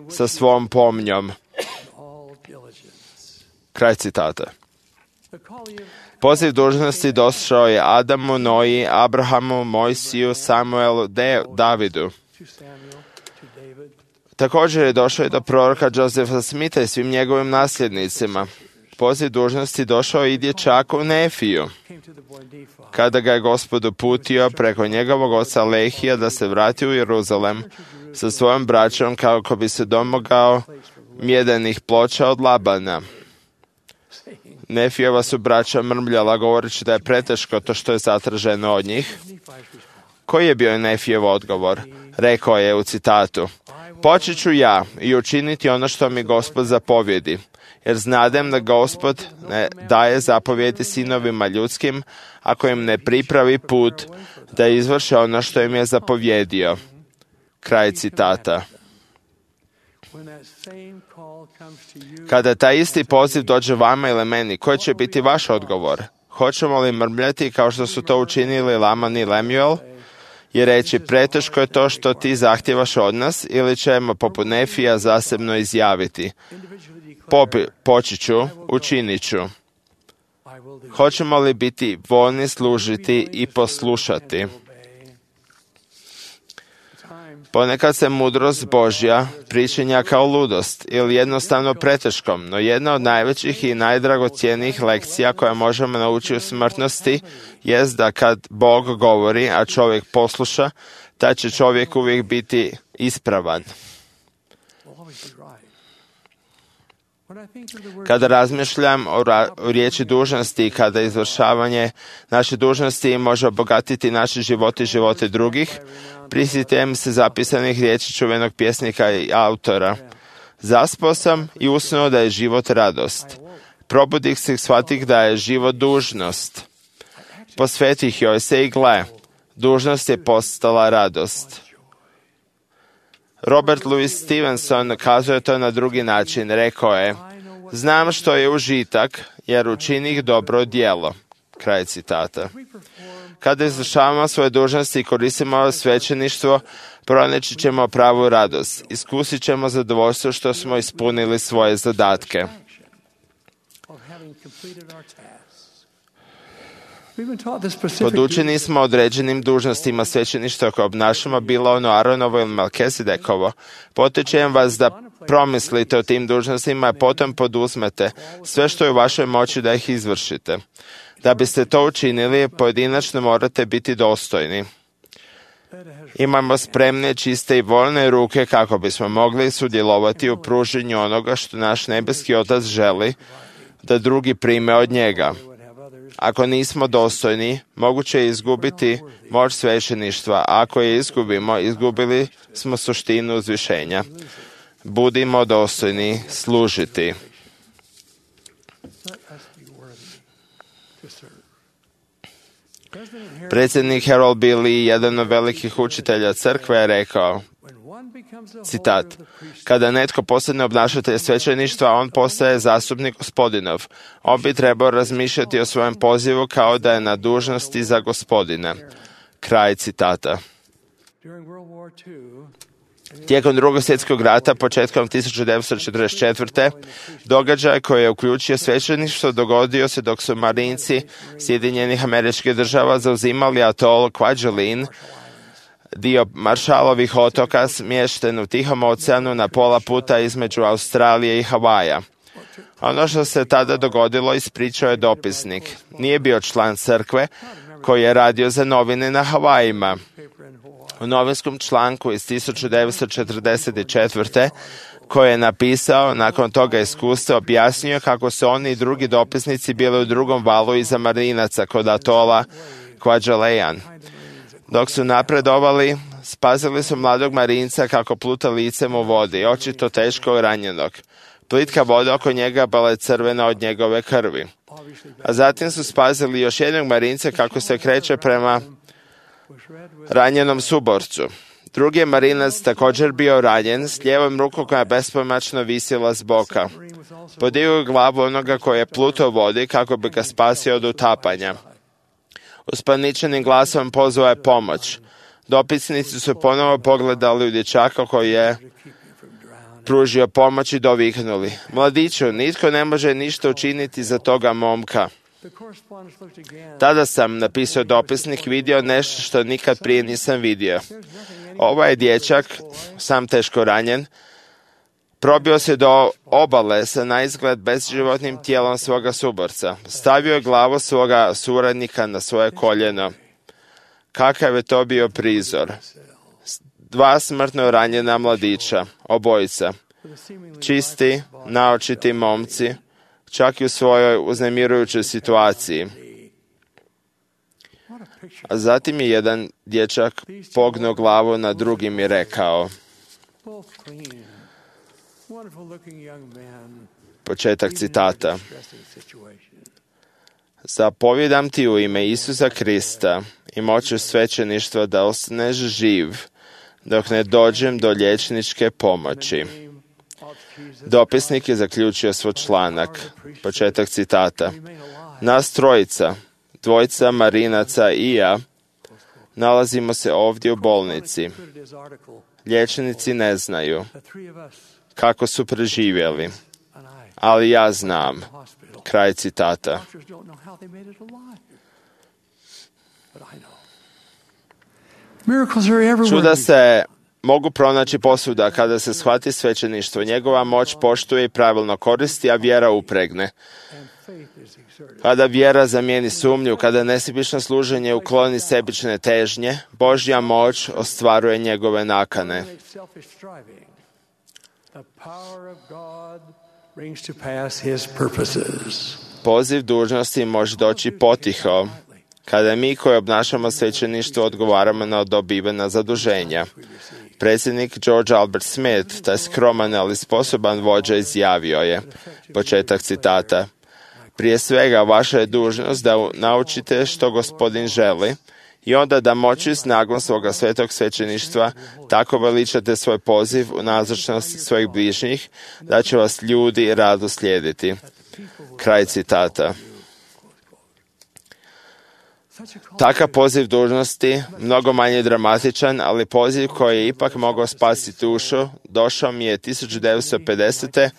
sa svom pomnjom. Kraj citata. Poziv dužnosti došao je Adamu, Noji, Abrahamu, Mojsiju, Samuelu, De, Davidu. Također je došao i do proroka Josefa Smitha i svim njegovim nasljednicima. Poziv dužnosti došao i dječaku Nefiju, kada ga je Gospod uputio preko njegovog oca Lehija da se vrati u Jeruzalem sa svojom braćom kako bi se domogao mjedenih ploča od Labana. Nefijeva su braća mrmljala govoreći da je preteško to što je zatraženo od njih. Koji je bio Nefijev odgovor? Rekao je u citatu: Počet ću ja i učiniti ono što mi Gospod zapovjedi, jer znadem da Gospod ne daje zapovjedi sinovima ljudskim ako im ne pripravi put da izvrše ono što im je zapovjedio. Kraj citata. Kada taj isti poziv dođe vama ili meni, koji će biti vaš odgovor? Hoćemo li mrmljati kao što su to učinili Laman i Lemuel i reći preteško je to što ti zahtjevaš od nas, ili ćemo poput Nefija zasebno izjaviti Popi, poći ću, učinit ću. Hoćemo li biti voljni služiti i poslušati? Ponekad se mudrost Božja pričinja kao ludost ili jednostavno preteškom, no jedna od najvećih i najdragocjenijih lekcija koje možemo naučiti u smrtnosti jest da kad Bog govori, a čovjek posluša, taj će čovjek uvijek biti ispravan. Kada razmišljam o, ra- o riječi dužnosti i kada izvršavanje naše dužnosti može obogatiti naše živote i živote drugih, prisjetim se zapisanih riječi čuvenog pjesnika i autora. Zaspao sam i usnuo da je život radost. Probudih se i shvatih da je život dužnost. Posvetih joj se i gle, dužnost je postala radost. Robert Louis Stevenson kazuje to na drugi način. Rekao je: znam što je užitak, jer učinih dobro djelo. Kraj citata. Kada izvršavamo svoje dužnosti i koristimo svećeništvo, pronaći ćemo pravu radost. Iskusit ćemo zadovoljstvo što smo ispunili svoje zadatke. Podučeni smo određenim dužnostima svećeništva koje obnašamo, bilo ono Aronovo ili Melkisedekovo. Potičem vas da promislite o tim dužnostima, a potom poduzmete sve što je u vašoj moći da ih izvršite. Da biste to učinili, pojedinačno morate biti dostojni. Imamo spremne, čiste i voljne ruke kako bismo mogli sudjelovati u pruženju onoga što naš nebeski Otac želi da drugi prime od njega. Ako nismo dostojni, moguće je izgubiti moć svećeništva, a ako je izgubimo, izgubili smo suštinu uzvišenja. Budimo dostojni služiti. Predsjednik Harold Billy, jedan od velikih učitelja crkve, je rekao: Citat. Kada netko postane obnašatelj svećeništva, on postaje zastupnik Gospodinov. On bi trebao razmišljati o svojem pozivu kao da je na dužnosti za Gospodina. Kraj citata. Tijekom drugog svjetskog rata, početkom tisuću devetsto četrdeset četvrte. događaj koji je uključio svećeništvo dogodio se dok su marinci Sjedinjenih Američkih Država zauzimali atol Kwajalein, dio Maršalovih otoka smješten u Tihom oceanu na pola puta između Australije i Havaja. Ono što se tada dogodilo ispričao je dopisnik. Nije bio član crkve koji je radio za novine na Havajima. U novinskom članku iz tisuću devetsto četrdeset četvrte koji je napisao nakon toga iskustva, objasnio kako su oni i drugi dopisnici bili u drugom valu iza marinaca kod atola Kwajalein. Dok su napredovali, spazili su mladog marinca kako pluta licem u vodi, očito teško ranjenog. Plitka voda oko njega bila je crvena od njegove krvi. A zatim su spazili još jednog marinca kako se kreće prema ranjenom suborcu. Drugi je marinac također bio ranjen, s lijevom rukom koja je bespomoćno visila s boka. Podigao je glavu onoga koji je plutao u vodi kako bi ga spasio od utapanja. Uspaničenim glasom pozvao je pomoć. Dopisnici su ponovo pogledali u dječaka koji je pružio pomoć i doviknuli. Mladiću, nitko ne može ništa učiniti za toga momka. Tada sam, napisao dopisnik, vidio nešto što nikad prije nisam vidio. Ovaj dječak, sam teško ranjen, probio se do obale sa naizgled bezživotnim tijelom svoga suborca. Stavio je glavu svoga suradnika na svoje koljeno. Kakav je to bio prizor. Dva smrtno ranjena mladića, obojica. Čisti, naočiti momci, čak i u svojoj uznemirujućoj situaciji. A zatim je jedan dječak pognuo glavu na drugim i rekao, početak citata. Zapovjedam ti u ime Isusa Krista i moću svećeništva da ostaneš živ dok ne dođem do liječničke pomoći. Dopisnik je zaključio svoj članak. Početak citata. Nas trojica, dvojica marinaca i ja, nalazimo se ovdje u bolnici. Liječnici ne znaju kako su preživjeli, ali ja znam. Kraj citata. Čuda se mogu pronaći posvuda kada se shvati svećeništvo. Njegova moć poštuje i pravilno koristi, a vjera upregne. Kada vjera zamijeni sumnju, kada nesebično služenje ukloni sebične težnje, Božja moć ostvaruje njegove nakane. Poziv dužnosti može doći potiho, kada mi koji obnašamo svećeništvo odgovaramo na dobivena zaduženja. Predsjednik George Albert Smith, taj skroman ali sposoban vođa, izjavio je, početak citata, prije svega vaša je dužnost da naučite što Gospodin želi i onda da moći snagom svoga svetog svećeništva tako veličate svoj poziv u nazočnosti svojih bližnjih, da će vas ljudi rado slijediti. Kraj citata. Takav poziv dužnosti, mnogo manje dramatičan, ali poziv koji je ipak mogao spasiti dušu, došao mi je tisuću devetsto pedesete.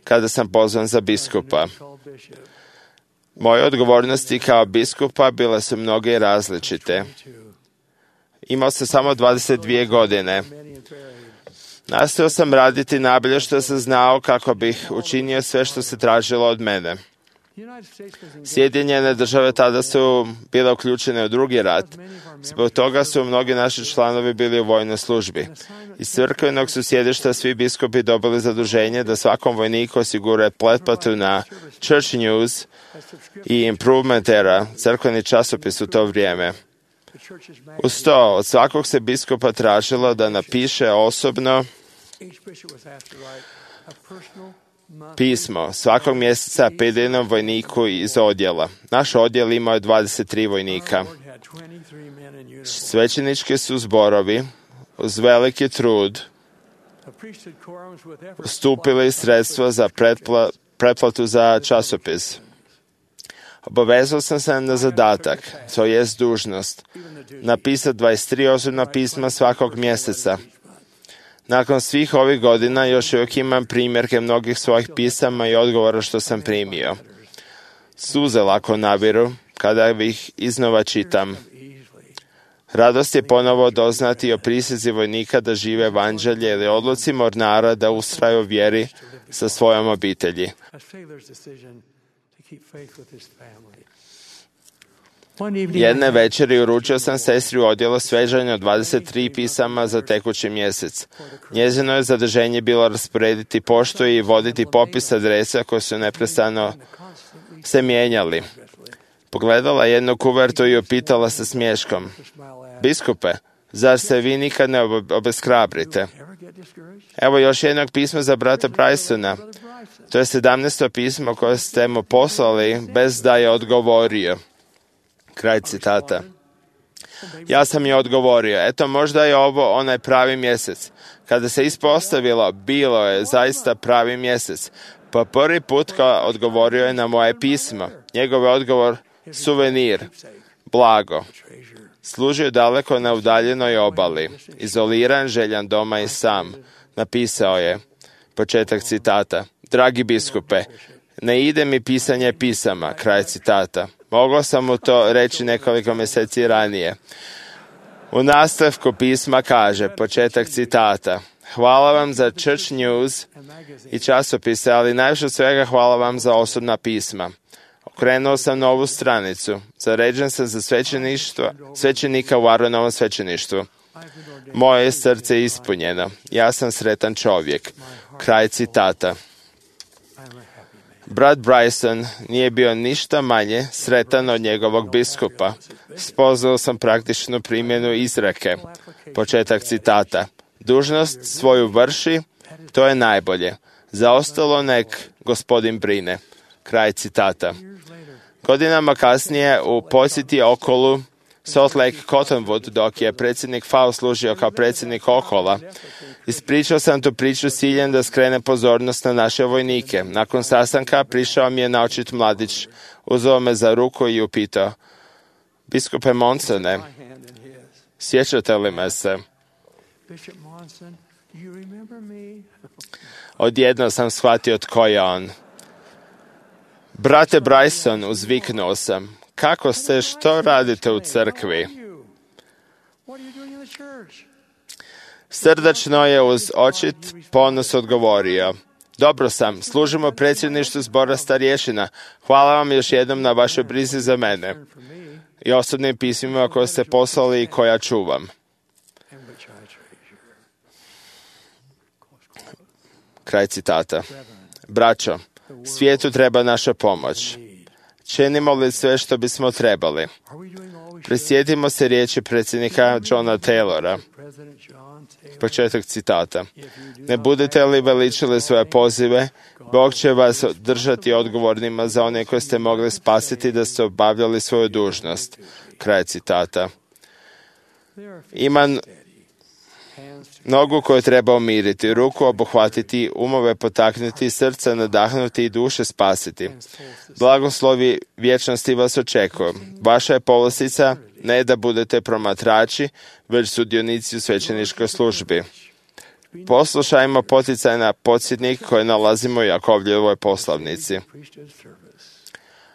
kada sam pozvan za biskupa. Moje odgovornosti kao biskupa bile su mnoge i različite. Imao sam samo dvadeset dvije godine. Nastojao sam raditi najbolje što sam znao kako bih učinio sve što se tražilo od mene. Sjedinjene države tada su bile uključene u drugi rat. Zbog toga su mnogi naši članovi bili u vojnoj službi. Iz crkvenog su sjedišta svi biskupi dobili zaduženje da svakom vojniku osiguraju pretplatu na Church News i Improvement Era, crkveni časopis u to vrijeme. Uz to, od svakog se biskupa tražilo da napiše osobno pismo svakog mjeseca pojedinom vojniku iz odjela. Naš odjel imao je dvadeset tri vojnika. Svećenički su zborovi uz veliki trud ustupili sredstva za pretpla, pretplatu za časopis. Obavezao sam se na zadatak, to jest dužnost, napisati dvadeset tri osobna pisma svakog mjeseca. Nakon svih ovih godina još uvijek imam primjerke mnogih svojih pisama i odgovora što sam primio. Suze lako nabiru kada ih iznova čitam. Radost je ponovo doznati o prisezi vojnika da žive evanđelje ili odluci mornara da ustraju u vjeri sa svojom obitelji. Jedne večeri uručio sam sestri u odjelu svežanja dvadeset tri pisama za tekući mjesec. Njezino je zaduženje bilo rasporediti poštu i voditi popis adresa koji su neprestano se mijenjali. Pogledala jednu kuvertu i upitala sa smiješkom: biskupe, zar se vi nikad ne obeshrabrite? Evo još jednog pisma za brata Brysona. To je sedamnaesto pismo koje ste mu poslali bez da je odgovorio. Kraj citata. Ja sam je odgovorio, eto možda je ovo onaj pravi mjesec. Kada se ispostavilo, bilo je zaista pravi mjesec. Pa prvi put kao odgovorio je na moje pismo. Njegov odgovor, suvenir, blago. Služio daleko na udaljenoj obali, izoliran, željan doma i sam. Napisao je, početak citata, dragi biskupe, ne ide mi pisanje pisama, kraj citata. Mogao sam mu to reći nekoliko mjeseci ranije. U nastavku pisma kaže, početak citata, hvala vam za Church News i časopise, ali najviše od svega hvala vam za osobna pisma. Okrenuo sam novu stranicu. Zaređen sam za svećeništvo, svećenika u Aronovom svećeništvu. Moje srce je ispunjeno. Ja sam sretan čovjek. Kraj citata. Brat Bryson nije bio ništa manje sretan od njegovog biskupa. Spoznao sam praktičnu primjenu izreke. Početak citata. Dužnost svoju vrši, to je najbolje. Za ostalo nek gospodin brine. Kraj citata. Godinama kasnije u posjeti okolu Salt Lake Cottonwood, dok je predsjednik Faust služio kao predsjednik okola, ispričao sam tu priču s ciljem da skrene pozornost na naše vojnike. Nakon sastanka prišao mi je naočit mladić, uzeo me za ruku i upitao, biskupe Monsone, sjećate li me se? Odjedno sam shvatio tko je on. Brate Bryson, uzviknuo sam, kako ste, što radite u crkvi? Srdačno je uz očit ponos odgovorio, dobro sam, služimo predsjedništvu zbora starješina, hvala vam još jednom na vašoj brizi za mene i osobnim pismima koje ste poslali i koja čuvam. Kraj citata. Braćo, svijetu treba naša pomoć. Činimo li sve što bismo trebali? Prisjetimo se riječi predsjednika Johna Taylora. Početak citata. Ne budete li veličili svoje pozive, Bog će vas držati odgovornima za one koje ste mogli spasiti da ste obavljali svoju dužnost. Kraj citata. Ima nogu koju treba umiriti, ruku obuhvatiti, umove potaknuti, srce nadahnuti i duše spasiti. Blagoslovi vječnosti vas očekuju. Vaša je povlastica ne da budete promatrači, već sudionici u svećeničkoj službi. Poslušajmo poticaj na podsjetnik koji nalazimo u Jakovljevoj poslavnici.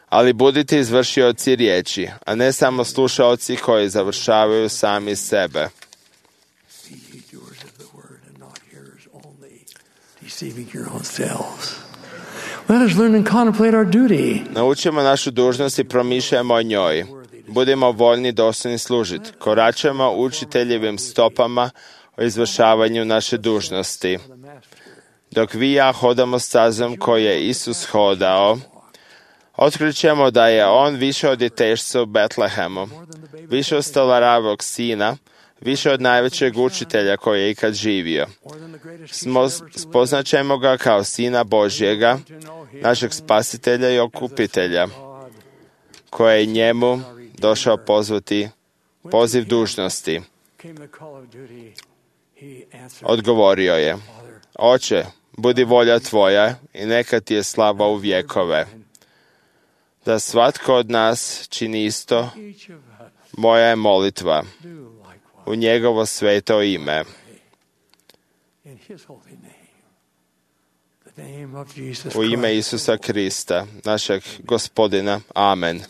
Ali budite izvršioci riječi, a ne samo slušaoci koji završavaju sami sebe. Naučimo našu dužnost i promišljamo o njoj. Budimo voljni dostojni služiti. Koračamo učiteljevim stopama o izvršavanju naše dužnosti. Dok vi i ja hodamo stazom koju je Isus hodao, otkrićemo da je on više od djetešca u Betlehemu, više od stolaravog sina, više od najvećeg učitelja koji je ikad živio. Spoznaćemo ga kao Sina Božjega, našeg spasitelja i okupitelja, koji je njemu došao pozvati poziv dužnosti. Odgovorio je, Oče, budi volja tvoja i neka ti je slava u vjekove. Da svatko od nas čini isto, moja je molitva u njegovo sveto ime. U ime Isusa Krista, našeg Gospodina. Amen.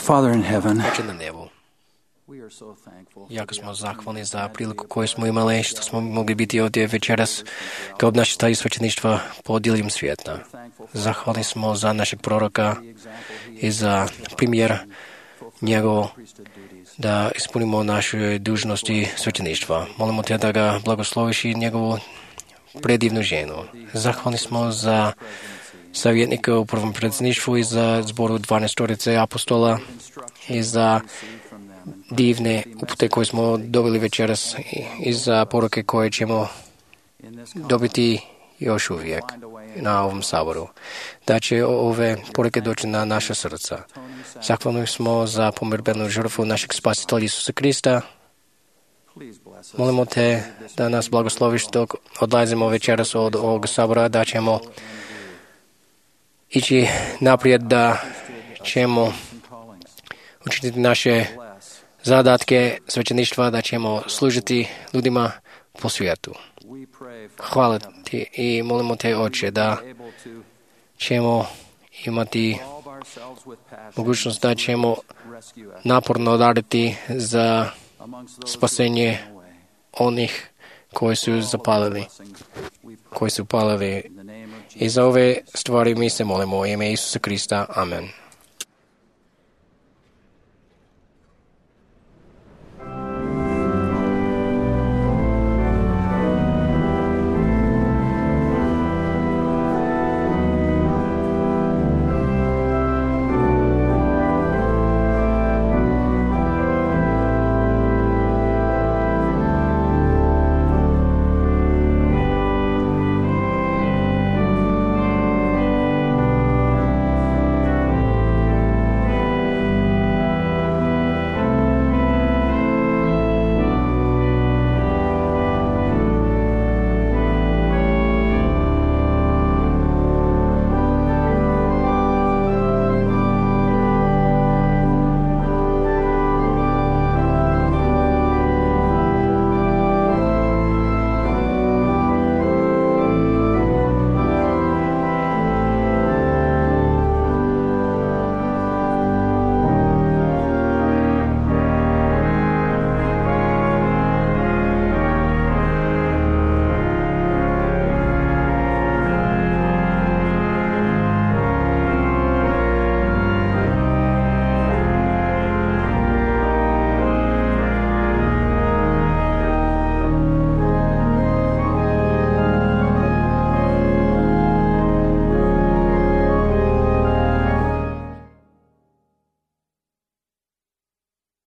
Father in heaven, Oče na nebu, we are so thankful. jako smo zahvalni za priliku koju smo imali, što smo mogli biti ovdje večeras kao obnašatelji svećeništva po diljem svijeta. Zahvalni smo za našeg proroka i za primjer njegovo da ispunimo naše dužnosti svećeništva. Molimo te da ga blagosloviš i njegovu predivnu ženu. Zahvalni smo za savjetnika u prvom predsjedništvu i za zboru dvanaestorice apostola i za divne upute koje smo dobili večeras i za poruke koje ćemo dobiti još uvijek na ovom saboru. Da će ove poruke doći na naša srca. Zahvalni smo za pomirbenu žrtvu našeg spasitelja Isusa Krista. Molimo te da nas blagosloviš dok odlazimo večeras od ovog sabora, da ćemo ići naprijed, da ćemo učiniti naše zadatke svećeništva, da ćemo služiti ljudima po svijetu. Hvala ti i molimo te, Oče, da ćemo imati mogućnost da ćemo naporno raditi za spasenje onih koji su zapalili, koji su palili. I za ove stvari mi se molimo u ime Isusa Krista. Amen.